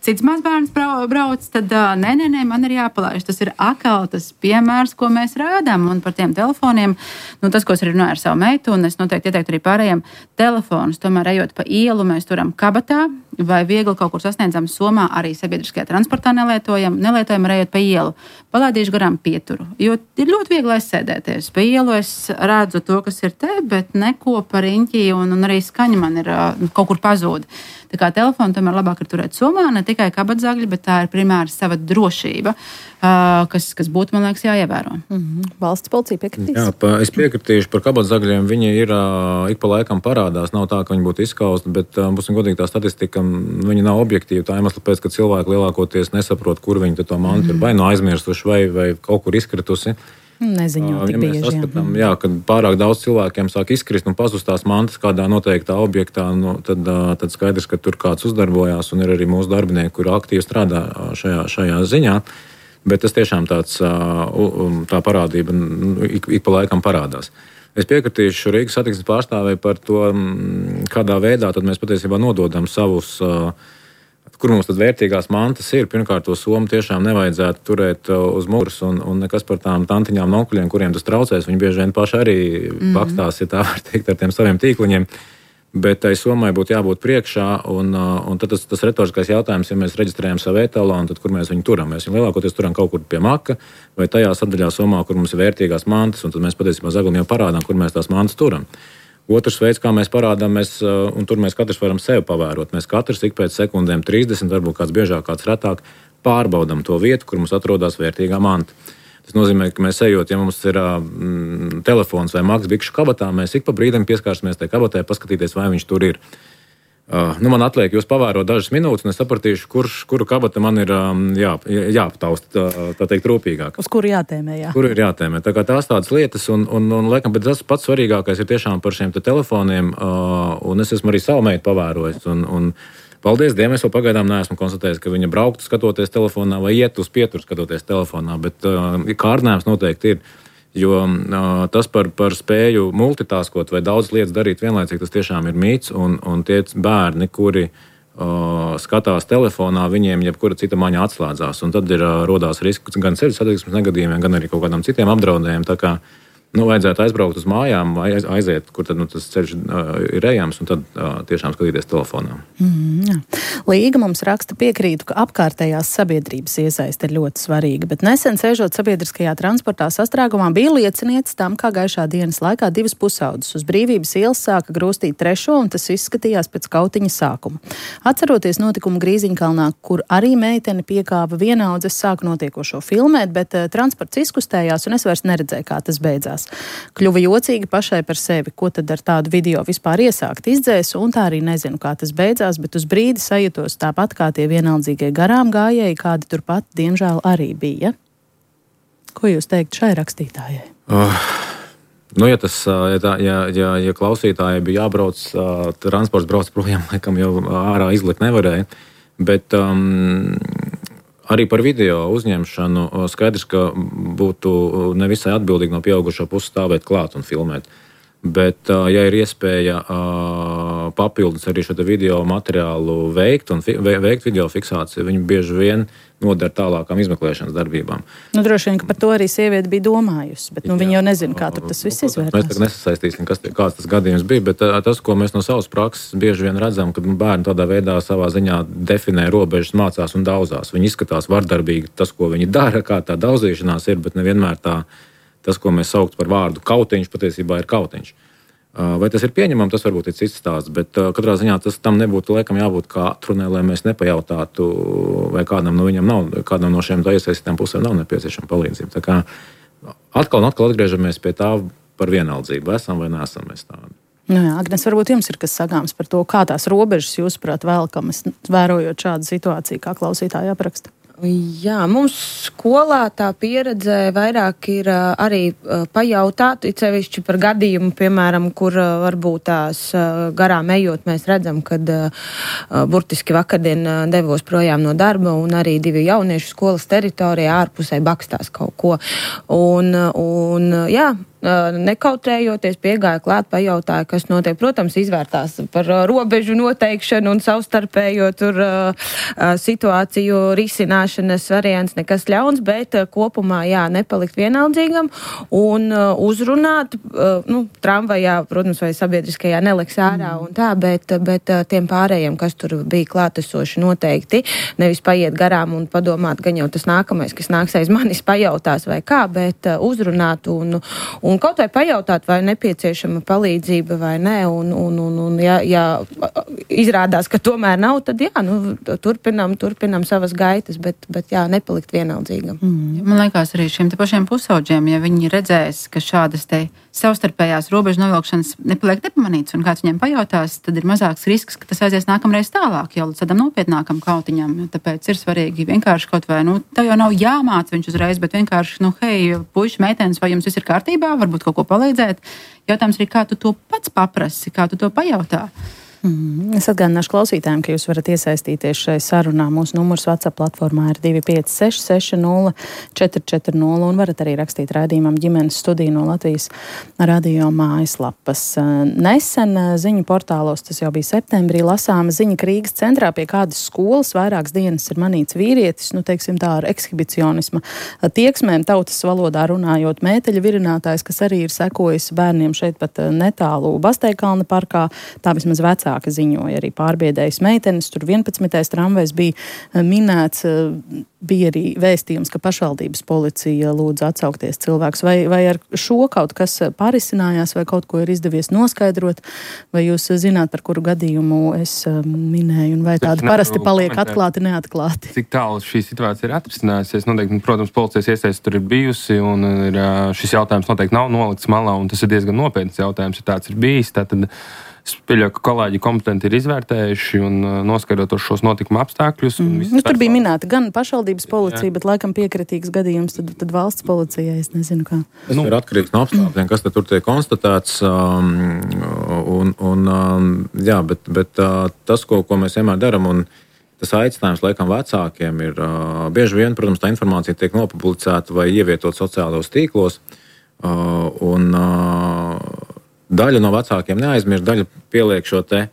cits mazbērns brauc, tad nē, man ir jāpalaiž. Tas ir atkal tas piemērs, ko mēs rādām, un par tiem telefoniem, tas, ko es arī runāju ar savu meitu, un es noteikti ieteiktu arī pārējiem telefonus, tomēr ejot pa ielu, mēs turam kabatā, vai viegli kaut kur sasniedzam somā, arī sabiedriskajā transportā nelietojam, arī ejot pa ielu. Palaidīšu garām pieturu, jo ir ļoti viegli aizsēdēties. Pa ielu es redzu to, kas ir te, bet neko par riņķi, un arī skaņa man ir kaut kur pazūda. Tā kā telefonu tomēr labāk ir turēt somā, ne tikai kabatzagļi, bet tā ir primāri sava drošība, kas būtu, man liekas, jāievēro. Valsts policija piekritīs? Jā, es piekritīšu par kabatzagļiem. Viņi ir ik pa laikam parādās. Nav tā, ka viņi būtu izskausti, bet būsim godīgi, tā statistika, viņi nav objektīva. Tā iemesla pēc, ka cilvēki lielākoties nesaprot, kur viņi to mantu ir vai aizmirsuši, vai kaut kur izkritusi. Neziņot, ja mēs saskatām, kad pārāk daudz cilvēkiem sāk izkrist un pazust tās mantas kādā noteiktā objektā, tad skaidrs, ka tur kāds uzdarbojās, un ir arī mūsu darbinieki, kuri aktīvi strādā šajā ziņā. Bet tas tiešām tā parādība ik pa laikam parādās. Es piekritīšu Rīgas satiksmes pārstāvēji par to, kādā veidā tad mēs patiesībā nododam savus, kur mums tad vērtīgās mantas ir. Pirmkārt, to somu tiešām nevajadzētu turēt uz muguras, un nekas par tām tantiņām, onkuļiem, kuriem tas traucēs. Viņi bieži vien paši arī bakstās, ja tā var teikt, ar tiem saviem tīkliņiem. Bet tai sommai būtu jābūt priekšā, un tad tas retoriskais jautājums, ja mēs reģistrējam savu etalonu, tad kur mēs viņu turam? Mēs viņu lielākoties turam kaut kur pie maka vai tajā sadaļā sommā, kur mums ir vērtīgās mantas, un tad mēs patiesībā zaglim jau parādām, kur mēs tās mantas turam. Otrs veids, kā mēs parādām, un tur mēs katrs varam sevi pavērot. Mēs katrs ik pēc sekundēm 30, varbūt kāds biežāk, kāds retāk, pārbaudam to vietu, kur mums atrodas vērtīgā manta. Tas nozīmē, ka mēs ejot, ja mums ir telefons vai maks bikšu kabatā, mēs ik pa brīdim pieskārsimies tai kabatai, paskatīties, vai viņš tur ir. Man atliek jūs pavērot dažas minūtes, un es sapratīšu, kuru kabata man ir jāaptaust, tā teikt, rūpīgāk. Uz kuru jātēmē, jā. Kuru ir jātēmē. Tā kā tās tādas lietas, un laikam, bet tas pats svarīgākais ir tiešām par šiem telefoniem, un es esmu arī savu meitu pavērojis, un paldies Dievam, es vēl pagaidām neesmu konstatējis, ka viņa brauktu skatoties telefonā vai iet uz pieturu skatoties telefonā, bet kārdinājums noteikti ir. Jo tas par spēju multitaskot vai daudz lietas darīt vienlaicīgi, tas tiešām ir mīts, un tie bērni, kuri skatās telefonā, viņiem jebkura cita maņa atslēdzās, un tad rodās risks gan ceļu satiksmes negadījumiem, gan arī kaut kādām citiem apdraudējumiem. Tā kā vajadzētu aizbraukt uz mājām, aiziet, kur tad tas ceļš ir ejams, un tad tiešām skatīties telefonā. Līga mums raksta, piekrītu, ka apkārtējās sabiedrības iesaiste ir ļoti svarīga, bet nesen sēžot sabiedriskajā transportā sastrēgumā bija liecinieca tam, kā gaišā dienas laikā 2 pusaudzes uz Brīvības ielas sāka grūstīt 3, un tas izskatījās pēc kautiņa sākuma. Atceroties notikumu Grīziņkalnā, kur arī meitene piekāva vienaudzes, sāku notiekošo filmēt, bet transports izkustējās, un es vairs neredzēju, kā tas beidzās. Kļuva jocīgi pašai par sevi, ko tad ar tādu video vispār iesākt izdzēsu, un tā arī nezinu, kā tas beidzās, bet uz brīdi sajūtos tāpat kā tie vienaldzīgie garām gājēji, kādi turpat, diemžēl, arī bija. Ko jūs teikt šai rakstītājai? Ja klausītājai bija jābrauc, transports brauc projām, laikam jau ārā izlikt nevarēja, bet arī par video uzņemšanu skaidrs, ka būtu nevisai atbildīgi no pieaugušo puses stāvēt klāt un filmēt. Bet, ja ir iespēja papildus arī šo video materiālu veikt un veikt video fiksāciju, viņi bieži vien nodara tālākām izmeklēšanas darbībām. Droši vien, ka par to arī sieviete bija domājusi, bet viņi jau nezina, kā tur tas viss izvērtās. Mēs tagad nesasaistīsim, kāds tas gadījums bija, bet tas, ko mēs no savas prakses bieži vien redzam, ka bērni tādā veidā savā ziņā definē robežas, mācās un daudzās. Viņi izskatās vardarbīgi tas, ko viņi dara, kā tā daudzīšanās ir, bet nevienmēr tas, ko mēs saukt par vārdu kautiņš, patiesībā ir kautiņš. Vai tas ir pieņemams, tas varbūt ir cits stāsts, bet katrā ziņā tas tam nebūtu laikam jābūt kā atrunē, lai mēs nepajautātu, vai kādam no šiem iesaistītām pusēm nav nepieciešama palīdzība. Tā kā atkal un atkal atgriežamies pie tā par vienaldzību. Esam vai neesam mēs tādi? Agnes, varbūt jums ir kas sakāms par to, kā tās robežas jūsuprāt velkamas, vērojot šādu situāciju, kā klausītāji apraksta? Jā, mums skolā tā pieredze vairāk ir arī pajautāt, it sevišķi par gadījumu, piemēram, kur varbūt tās garām ejot, mēs redzam, kad burtiski vakardien devos projām no darba un arī 2 jaunieši skolas teritorijā ārpusē bakstās kaut ko. Un jā, nekautrējoties, piegāja klāt, pajautāja, kas notiek. Protams, izvērtās par robežu noteikšanu un savstarpējo tur situāciju risināšanas variants, nekas ļauns, bet kopumā, jā, nepalikt vienaldzīgam un uzrunāt, tramvajā, protams, vai sabiedriskajā neliks ārā un tā, bet tiem pārējiem, kas tur bija klātesoši noteikti, nevis paiet garām un padomāt, gan jau tas nākamais, kas nāks aiz manis, pajautās vai kā, bet uzrunāt un kaut vai pajautāt, vai nepieciešama palīdzība vai nē, un ja izrādās, ka tomēr nav, tad jā, turpinam savas gaitas, bet jā, nepalikt vienaldzīgam. Man liekas arī šiem te pašiem pusaudžiem, ja viņi redzēs, ka šādas te savstarpējās robežu novilkšanas nepaliek nepamanīts un kāds viņiem pajautās, tad ir mazāks risks, ka tas aizies nākamreiz tālāk, jau līdz tādam nopietnākam kautiņam. Tāpēc ir svarīgi vienkārši kaut vai, tev jau nav jāmāc viņš uzreiz, bet vienkārši, hei, puiši, meitenes, vai jums viss ir kārtībā, varbūt kaut ko palīdzēt. Jautājums ir, kā tu to pats paprasi, kā tu to pajautā. Es atgādināšu klausītājiem, ka jūs varat iesaistīties šai sarunā. Mūsu numurs WhatsApp platformā ir 256 60 440 un varat arī rakstīt raidījumam ģimenes studiju no Latvijas radio mājaslapas. Nesen ziņu portālos, tas jau bija septembrī, lasāma ziņa, ka Rīgas centrā pie kādas skolas vairākas dienas ir manīts vīrietis, teiksim tā, ar ekshibicionisma tieksmēm, tautas valodā runājot, mēteļa virinātājs, kas arī ir sekojis bērniem šeit pat netālu Basteikalna parkā, tā vismaz vecāka ziņoja, arī pārbiedējas meitenes, tur 11. tramvajs bija minēts, bija arī vēstījums, ka pašvaldības policija lūdz atsaukties cilvēks. Vai ar šo kaut kas parisinājās, vai kaut ko ir izdevies noskaidrot, vai jūs zināt, par kuru gadījumu es minēju, un vai tādi parasti paliek atklāti, neatklāti? Cik tālu šī situācija ir atrisinājusies? Noteikti, protams, policijas iesaiste tur ir bijusi, un šis jautājums noteikti nav nolikts malā, un tas ir diezgan nopietns jautājums, ja tāds ir bijis. Tātad es pieļauju, ka kolēģi kompetenti ir izvērtējuši un noskaidrot šos notikuma apstākļus. Tur bija minēta gan pašvaldības policija, bet laikam piekritīgs gadījums, tad valsts policijai, es nezinu kā. Tas ir atkarīgs no apstākļiem, kas tur tiek konstatēts. Bet tas, ko mēs vienmēr daram, un tas aicinājums laikam vecākiem ir bieži vien, protams, tā informācija tiek nopublicēta vai ievietot sociālos tīklos. Un daļa no vecākiem neaizmirst, daļa pieliek šo te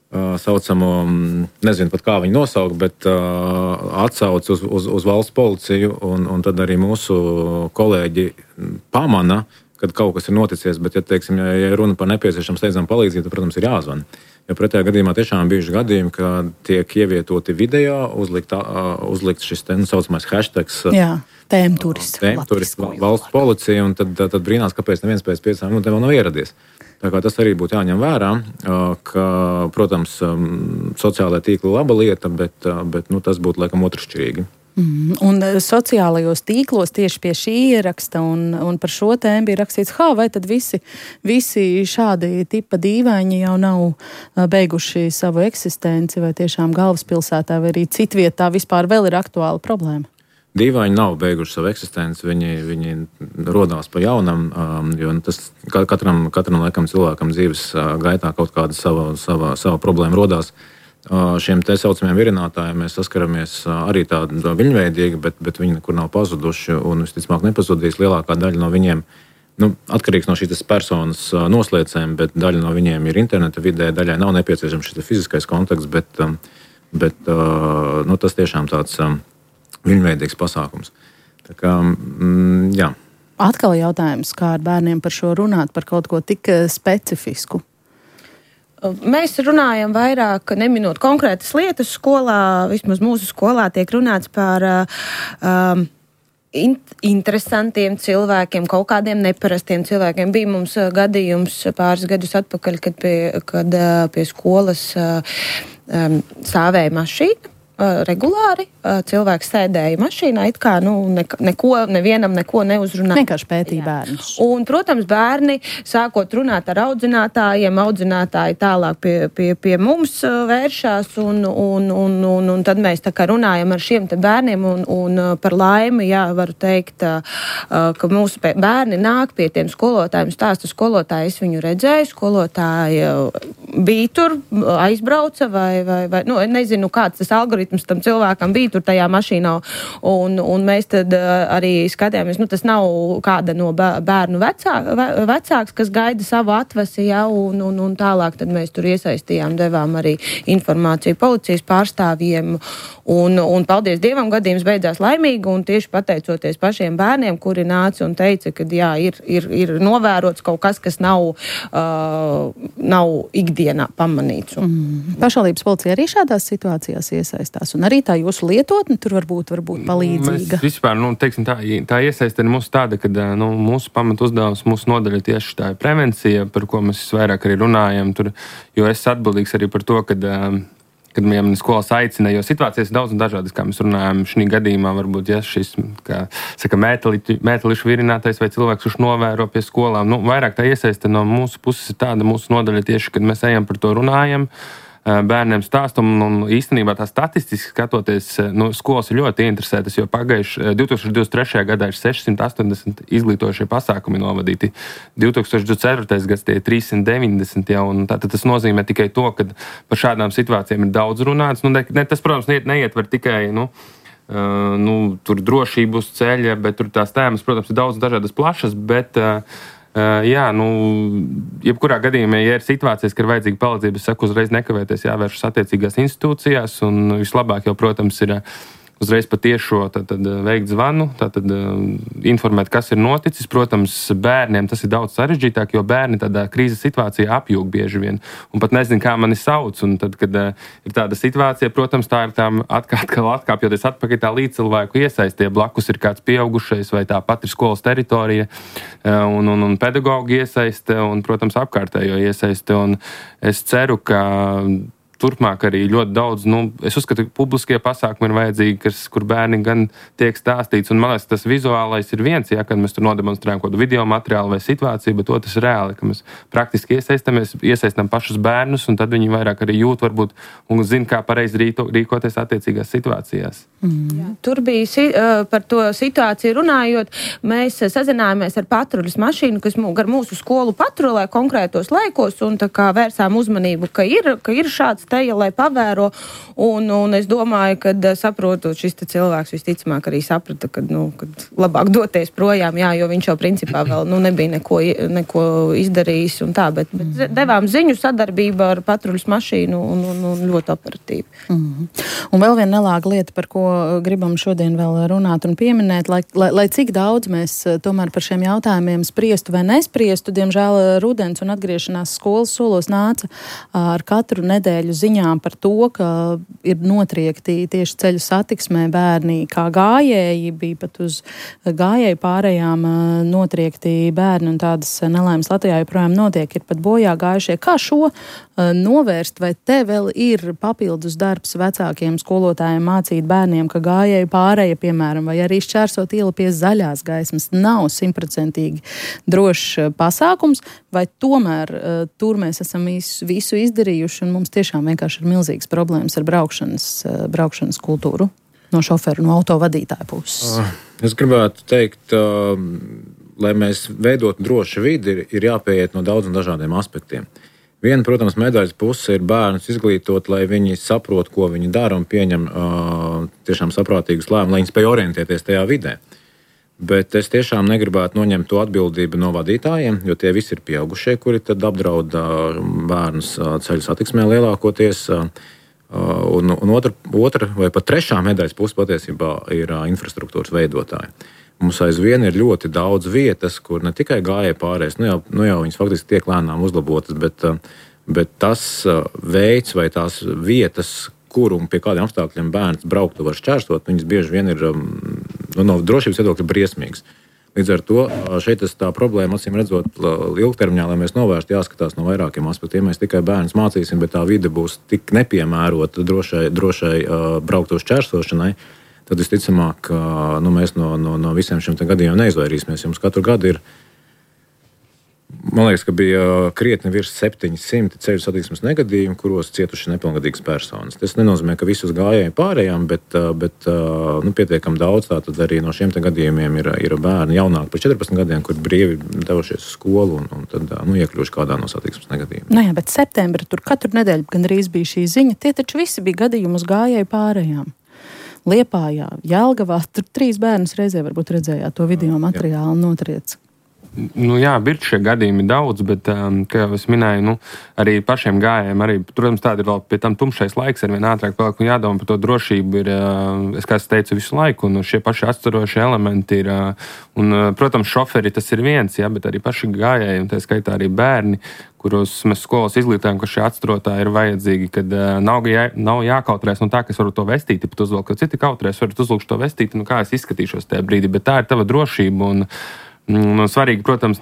saucamo, nezinu pat kā viņu nosaukt, bet atsauc uz valsts policiju, un tad arī mūsu kolēģi pamana, kad kaut kas ir noticies, bet, ja runa par nepieciešamu steidzamu palīdzību, tad, protams, ir jāzvana. Jo pretējā gadījumā tiešām bijuši gadījumi, kad tiek ievietoti video, uzlikt šis te saucamais hashtags. Jā, tēmturis, valsts policija, un tad brīnās, kāpēc neviens pēc 5 minūtēm vēl nav ieradies. Tā kā tas arī būtu jāņem vērā, ka, protams, sociālajā tīkla laba lieta, bet tas būtu laikam otršķirīgi. Un sociālajos tīklos tieši pie šī ieraksta un par šo tēmu bija rakstīts, vai tad visi šādi tipa dīvaini jau nav beiguši savu eksistenci, vai tiešām galvaspilsētā, vai arī citvietā vispār vēl ir aktuāla problēma? Dīvaini nav beiguši savu eksistenci, viņi rodās pa jaunam, jo tas katram laikam cilvēkam dzīves gaitā kaut kāda sava problēma rodās. Šiem te saucamiem virinātājiem mēs saskaramies arī tādu viņveidīgi, bet viņi nekur nav pazuduši un visticamāk nepazudīs. Lielākā daļa no viņiem, atkarīgs no šīs personas noslēcēm, bet daļa no viņiem ir interneta vidē, daļai nav nepieciešams šis fiziskais kontakts, bet tas tiešām tāds viņveidīgs pasākums. Tā kā, jā. Atkal jautājums, kā ar bērniem par šo runāt, par kaut ko tik specifisku? Mēs runājam vairāk, neminot konkrētas lietas skolā, vismaz mūsu skolā tiek runāts par interesantiem cilvēkiem, kaut kādiem neparastiem cilvēkiem. Bija mums gadījums pāris gadus atpakaļ, kad pie skolas stāvēja mašīna. Regulāri cilvēks sēdēja mašīnā, it kā nevienam neko neuzrunāja. Vienkārši pētīja bērnus. Un, protams, bērni sākot runāt ar audzinātājiem, audzinātāji tālāk pie mums vēršās, un tad mēs tā kā runājam ar šiem te bērniem, un par laimi, jā, varu teikt, ka mūsu bērni nāk pie tiem skolotājiem, stāsta skolotāji, es viņu redzēju, skolotāji bija tur, aizbrauca, vai nezinu, kāds tas algoritms tam cilvēkam bija tur tajā mašīnā, un mēs tad arī skatījāmies, tas nav kāda no bērnu vecāks, kas gaida savu atvasi, ja, un tālāk tad mēs tur iesaistījām, devām arī informāciju policijas pārstāvjiem, un paldies Dievam, gadījums beidzās laimīgi, un tieši pateicoties pašiem bērniem, kuri nāca un teica, ka jā, ir novērots kaut kas, kas nav ikdienā pamanīts. Pašvaldības policija arī šādās situācijās iesaistās, un arī tā jūsu lietotne tur varbūt palīdzīga. Mēs vispār, tā iesaiste ir mūsu tāda, ka mūsu pamatu uzdevums, mūsu nodaļa tieši tā ir prevencija, par ko mēs vairāk arī runājam, jo es atbildīgs arī par to, kad mani skolas aicina, jo situācijas ir daudz un dažādas, kā mēs runājam. Šī gadījumā varbūt, ja šis, kā saka, mētelišu virinātais vai cilvēks, kurš novēro pie skolām, vairāk tā iesaiste no mūsu puses ir tāda, mūsu nodaļa tieši, kad mēs ejam par to runājam, bērniem stāstam, un īstenībā tā statistiski skatoties, skolas ir ļoti interesētas, jo 2023. gadā ir 680 izglītošie pasākumi novadīti, 2024. gads tie ir 390, ja, un tātad tas nozīmē tikai to, ka par šādām situācijām ir daudz runāts. Tas, protams, neietver tikai, tur drošību uz ceļa, bet tur tās tēmas, protams, ir daudz dažādas plašas, bet jebkurā gadījumā, ja ir situācijas, ka ir vajadzīga palīdzība, es saku, uzreiz nekavēties jāvēršas attiecīgās institūcijās, un vislabāk jau, protams, ir uzreiz patiešo veikt zvanu, informēt, kas ir noticis. Protams, bērniem tas ir daudz sarežģītāk, jo bērni tādā krīzes situācijā apjūg bieži vien un pat nezin, kā mani sauc. Un tad, kad ir tāda situācija, protams, tā ir tām atkāpjoties atpakaļ tā līdzcilvēku iesaistie. Blakus ir kāds pieaugušais vai tā pat ir skolas teritorija un pedagoģi iesaiste un, protams, apkārtējo iesaiste. Un es ceru, ka turpmāk arī ļoti daudz, es uzskatu, ka publiskie pasākumi ir vajadzīgi, kur bērni gan tiek stāstīts, un man liekas, tas vizuālais ir viens, ja, kad mēs tur nodemonstrējam kaut kādu video materiālu vai situāciju, bet otrs ir reāli, ka mēs praktiski iesaistam pašus bērnus, un tad viņi vairāk arī jūt varbūt un zina, kā pareizi rīkoties attiecīgās situācijās. Tur bija par to situāciju runājot, mēs sazinājāmies ar patruļas mašīnu, kas gar mūsu skolu patrulē konkrētos laikos, un tā kā vērsām uzmanību, ka ir šāds teja, lai pavēro, un es domāju, ka saprotot, šis cilvēks visticamāk arī saprata, kad labāk doties projām, jā, jo viņš jau principā vēl nebija neko izdarījis un tā, bet devām ziņu sadarbību ar patruļas mašīnu un ļoti operatīvi. Un vēl viena nelāga lieta, par ko gribam šodien vēl runāt un pieminēt, lai cik daudz mēs tomēr par šiem jautājumiem spriestu vai nespriestu, diemžēl rudens un atgriešanās skolas solos nāca ar katru nedēļu ziņām par to, ka ir notriekti tieši ceļu satiksmē bērni kā gājēji, bija pat uz gājēju pārējām notriekti bērni un tādas nelaimes Latvijā joprojām notiek, ir pat bojā gājušie. Kā šo novērst, vai te vēl ir papildus darbs vecākiem skolotājiem mācīt bērniem, ka gājēju pārēja, piemēram, vai arī šķērsot ielu pie zaļās gaismas nav 100% drošs pasākums, vai tomēr tur mēs esam visu izdarījuši un mums tiešām vienkārši ir milzīgas problēmas ar braukšanas kultūru no šoferu, no autovadītāja puses? Es gribētu teikt, lai mēs veidotu drošu vidi, ir jāpieiet no daudz un dažādiem aspektiem. Viena, protams, medaļas puse ir bērnus izglītot, lai viņi saprot, ko viņi dara un pieņem tiešām saprātīgus lēmumus, lai viņi spēj orientēties tajā vidē. Bet es tiešām negribētu noņemt to atbildību no vadītājiem, jo tie visi ir pieaugušie, kuri tad apdraud bērnus ceļu satiksmē lielākoties. Un otra vai pat trešā medaļas puse patiesībā ir infrastruktūras veidotāji. Mums aizvien ir ļoti daudz vietas, kur ne tikai gājēji pārējais, nu jau viņas faktiski tiek lēnām uzlabotas, bet tas veids vai tās vietas, kur un pie kādiem apstākļiem bērns brauktu var šķērsot, viņas bieži vien ir no drošības viedokļa briesmīgas. Līdz ar to šeit tā problēma, acīm redzot, ilgtermiņā, lai mēs novērstu, jāskatās no vairākiem aspektiem. Ja mēs tikai bērnus mācīsim, bet tā vide būs tik nepiemērota drošai brauktu šķērsošanai, tad visticamāk, mēs no visiem šiem gadījumiem neizvairīsimies. Jums katru gadu ir, man liekas, ka bija krietni virs 700 ceļu satiksmes negadījumu, kuros cietuši nepilngadīgas personas. Tas nenozīmē, ka visus gājēji pārējām, bet pietiekam daudz, tātad arī no šiem gadījumiem ir bērni jaunāki par 14 gadiem, kur brīvi devušies uz skolu un tad iekļuvuši kādā no satiksmes negadījumiem. Nu jā, bet septembra tur katru nedēļu gandrīz bija šī ziņa, tie taču visi bija gadījumi uz gājēju pārējām. Liepājā, Jelgavā, tur 3 bērnus reizē varbūt redzējāt to video materiālu un notriec. Jā, ir šie gadījumi daudz, bet, kā jau es minēju, arī pašiem gājējiem, arī, protams, tāda ir vēl pie tam tumšais laiks, ar vien ātrāk paliek un jādomā par to drošību ir, kā es teicu, visu laiku, un šie paši atstarošie elementi ir, un, protams, šoferi tas ir viens, jā, bet arī paši gājēji, un tā skaitā arī bērni, kuros mēs skolas izglītājam, ka šie atstarotāji ir vajadzīgi, kad nav jākautrēs no tā, ka es varu to vestīti, pat uzvilkt, ka citi kautrēs, varat uzvilkt to vestīti, kā es izskatīšos tajā brīdī, bet tā ir tava drošība, un svarīgi, protams,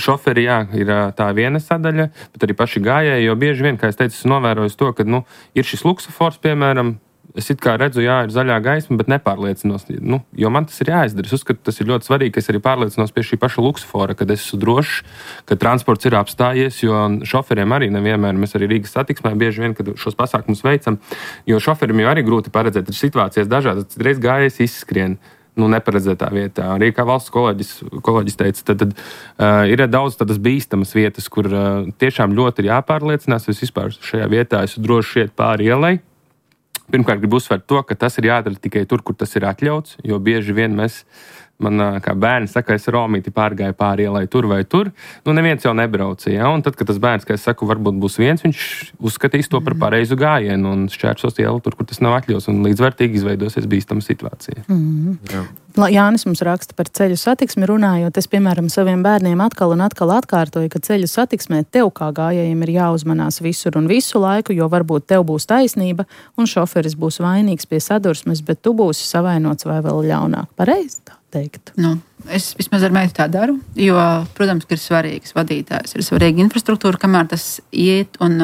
šoferi, jā, ir tā viena sadaļa, bet arī paši gājēji, jo bieži vien, kā es teicu, es novēroju to, ka, ir šis luksofors, piemēram, es it kā redzu, jā, ir zaļā gaisma, bet nepārliecinos, jo man tas ir jāizdara. Es uzskatu, tas ir ļoti svarīgi, ka es arī pārliecinos pie šī paša luksofora, kad es esmu drošs, ka transports ir apstājies, jo šoferiem arī nevienmēr, mēs arī Rīgas satiksmē bieži vien, kad šos pasākumus veicam, jo šoferim jau arī grūti paredzēt, ir situācijas dažādas, reiz gājējs izskrien, neparedzētā vietā. Arī kā valsts kolēģis teica, tad ir daudz tādas bīstamas vietas, kur tiešām ļoti ir jāpārliecinās, es vispār šajā vietā esmu droši iet pāri ielai. Pirmkārt, gribu uzsvērt to, ka tas ir jādara tikai tur, kur tas ir atļauts, jo bieži vien man kā bērni saka, es Romīti pārgāju pāri ielai tur vai tur, neviens jau nebrauca, ja? Un tad, kad tas bērns, kā es saku, varbūt būs viens, viņš uzskatīs to par pareizu gājienu un šķērsos ielu tur, kur tas nav atļauts, un līdzvērtīgi izveidosies bīstama situācija. Jānis mums raksta par ceļu satiksmi runājot, es, piemēram, saviem bērniem atkal un atkal atkārtoju, ka ceļu satiksmē tev kā gājējiem ir jāuzmanās visur un visu laiku, jo varbūt tev būs taisnība un šoferis būs vainīgs pie sadursmes, bet tu būsi savainots vai vēl ļaunāk. Pareizi tā teikt? Es vismaz ar meitu tā daru, jo, protams, ka ir svarīgs vadītājs, ir svarīga infrastruktūra, kamēr tas iet un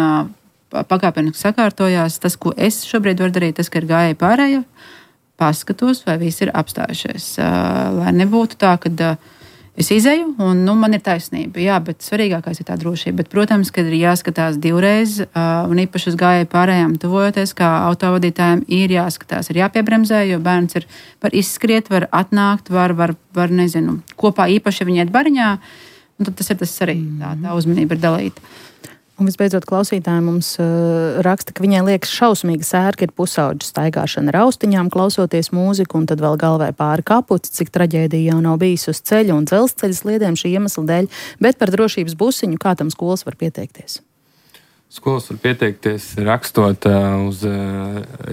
pakāpeniski sakārtojās. Tas, ko es šobrīd varu darīt, tas, ka ir gājēji pārējie, paskatos, vai visi ir apstājušies. Lai nebūtu tā, ka es izeju un man ir taisnība. Jā, bet svarīgākais ir tā drošība. Bet, protams, kad ir jāskatās divreiz, un īpaši uz gājēju pārējām tuvojoties, kā autovadītājiem ir jāskatās, ir jāpiebremzē, jo bērns ir var izskriet, var atnākt, var nezinu, kopā īpaši, ja viņi iet bariņā, un tad tas ir tas arī tā uzmanība ir dalīta. Un visbeidzot, klausītāji mums raksta, ka viņai liekas šausmīga sērga ir pusauģa staigāšana ar austiņām, klausoties mūziku, un tad vēl galvai pāri kapuci, cik traģēdija jau nav bijis uz ceļa un dzelzceļa sliedēm šī iemesla dēļ, bet par drošības busiņu, kā tam skolas var pieteikties? Skolas var pieteikties rakstot uz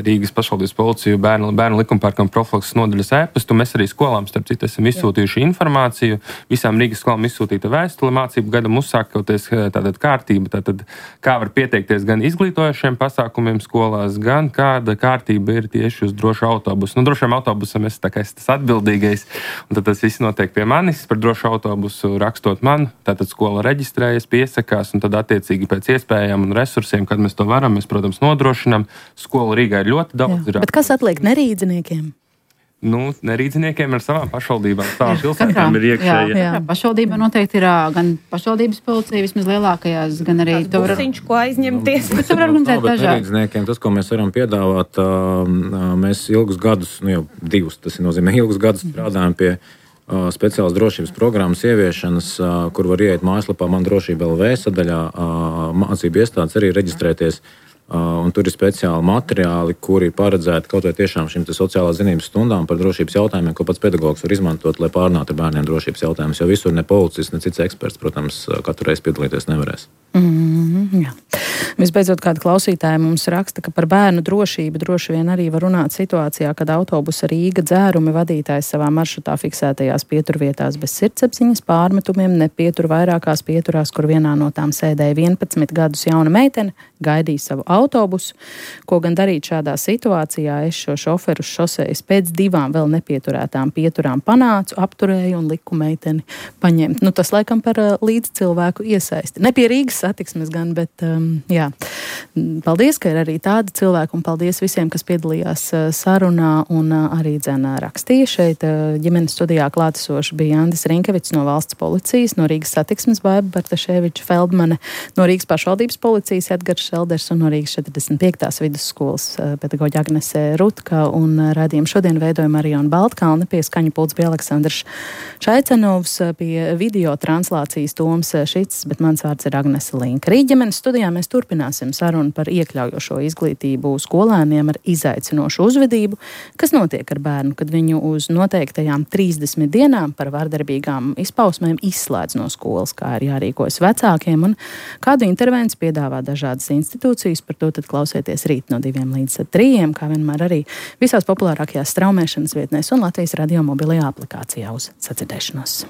Rīgas pašvaldības policiju bērnu likumpārkam profilakses nodaļas ēpastu. Mēs arī skolām, starp citu, esam izsūtījuši informāciju. Visām Rīgas skolām izsūtīta vēstule, mācību gadam uzsākoties tātad kārtība. Tātad, kā var pieteikties gan izglītojošiem pasākumiem skolās, gan kāda kārtība ir tieši uz drošu autobusu. Nu, drošiem autobusam es tā kā esmu tas atbildīgais, un tad tas viss notiek pie manis. Par drošu autobusu rakstot man, tātad skola reģistrējas, piesakās, un tad attiecīgi pēc iespējām un resursiem, kad mēs to varam, mēs, protams, nodrošinām. Skolu Rīgā ir ļoti daudz. Bet kas atliek nerīdziniekiem? Nu, nerīdziniekiem ar savām pašvaldībām, savām pilsētām ir iekšēji. Jā. Pašvaldībā noteikti ir gan pašvaldības policija, vismaz lielākajās, gan arī to busiņš, ko aizņemties. Bet var organizēt dažādi. Nerīdziniekiem tas, ko mēs varam piedāvāt, mēs ilgus gadus, jau 2, tas nozīmē ilgus gadus strādājam pie speciālas drošības programmas ieviešanas, kur var ieiet mājaslapā Man drošība LV sadaļā, mācību iestādes arī reģistrēties. Un tur ir speciāli materiāli, kuri ir paredzēti kaut vai tiešām šīm sociālās zinības stundām par drošības jautājumiem, ko pats pedagogs var izmantot, lai pārunātu ar bērniem drošības jautājumus. Jo visur ne policists, ne cits eksperts, protams, katru reizi piedalīties nevarēs. Jā. Visbeidzot, kāda klausītāja mums raksta, ka par bērnu drošību droši vien arī var runāt situācijā, kad autobusa Rīga dzērumi vadītājs savā maršrutā fiksētajās pieturvietās bez sirdsapziņas pārmetumiem nepietur vairākās pieturās, kur vienā no tām sēdēja 11 gadus jauna meitene, gaidīja savu autobusu. Ko gan darīt šādā situācijā? Es šo šoferu uz šosejas pēc 2 vēl nepieturētām pieturām panācu, apturēju un liku meiteni paņemt. Nu, tas laikam par līdz cilvēku iesaisti. Ne pie Rīgas satiksmes gan, bet jā. Paldies, ka ir arī tādi cilvēki, un paldies visiem, kas piedalījās sarunā un arī rakstīja. Šeit ģimenes studijā klātesoši bija Andis Rinkevits no valsts policijas, no Rīgas satiksmes Baiba Bartaševiča Feldmane, no Rīgas pašvaldības policijas Edgars Šelders un no Rīgas 45. vidusskolas pedagoģa Agnese Rutka, un raidījumu šodien veidoja Mariona Baltkalne, pie skaņu pults bija Aleksandrs Šaicenovs, pie video translācijas Toms Šits, bet mans vārds ir Agnese Linka. Rīt ģimenes studijā mēs turpināsim sarunu par iekļaujošo izglītību skolēniem ar izaicinošu uzvedību, kas notiek ar bērnu, kad viņu uz noteiktajām 30 dienām par vardarbīgām izpausmēm izslēdz no skolas, kā ir jārīkojas vecākiem un kādu intervenciju piedāvā dažādas institūcijas. Par to tad klausieties rīt no 2 līdz 3, kā vienmēr arī visās populārākajās straumēšanas vietnēs un Latvijas radio mobilajā aplikācijā. Uz sadzirdēšanos!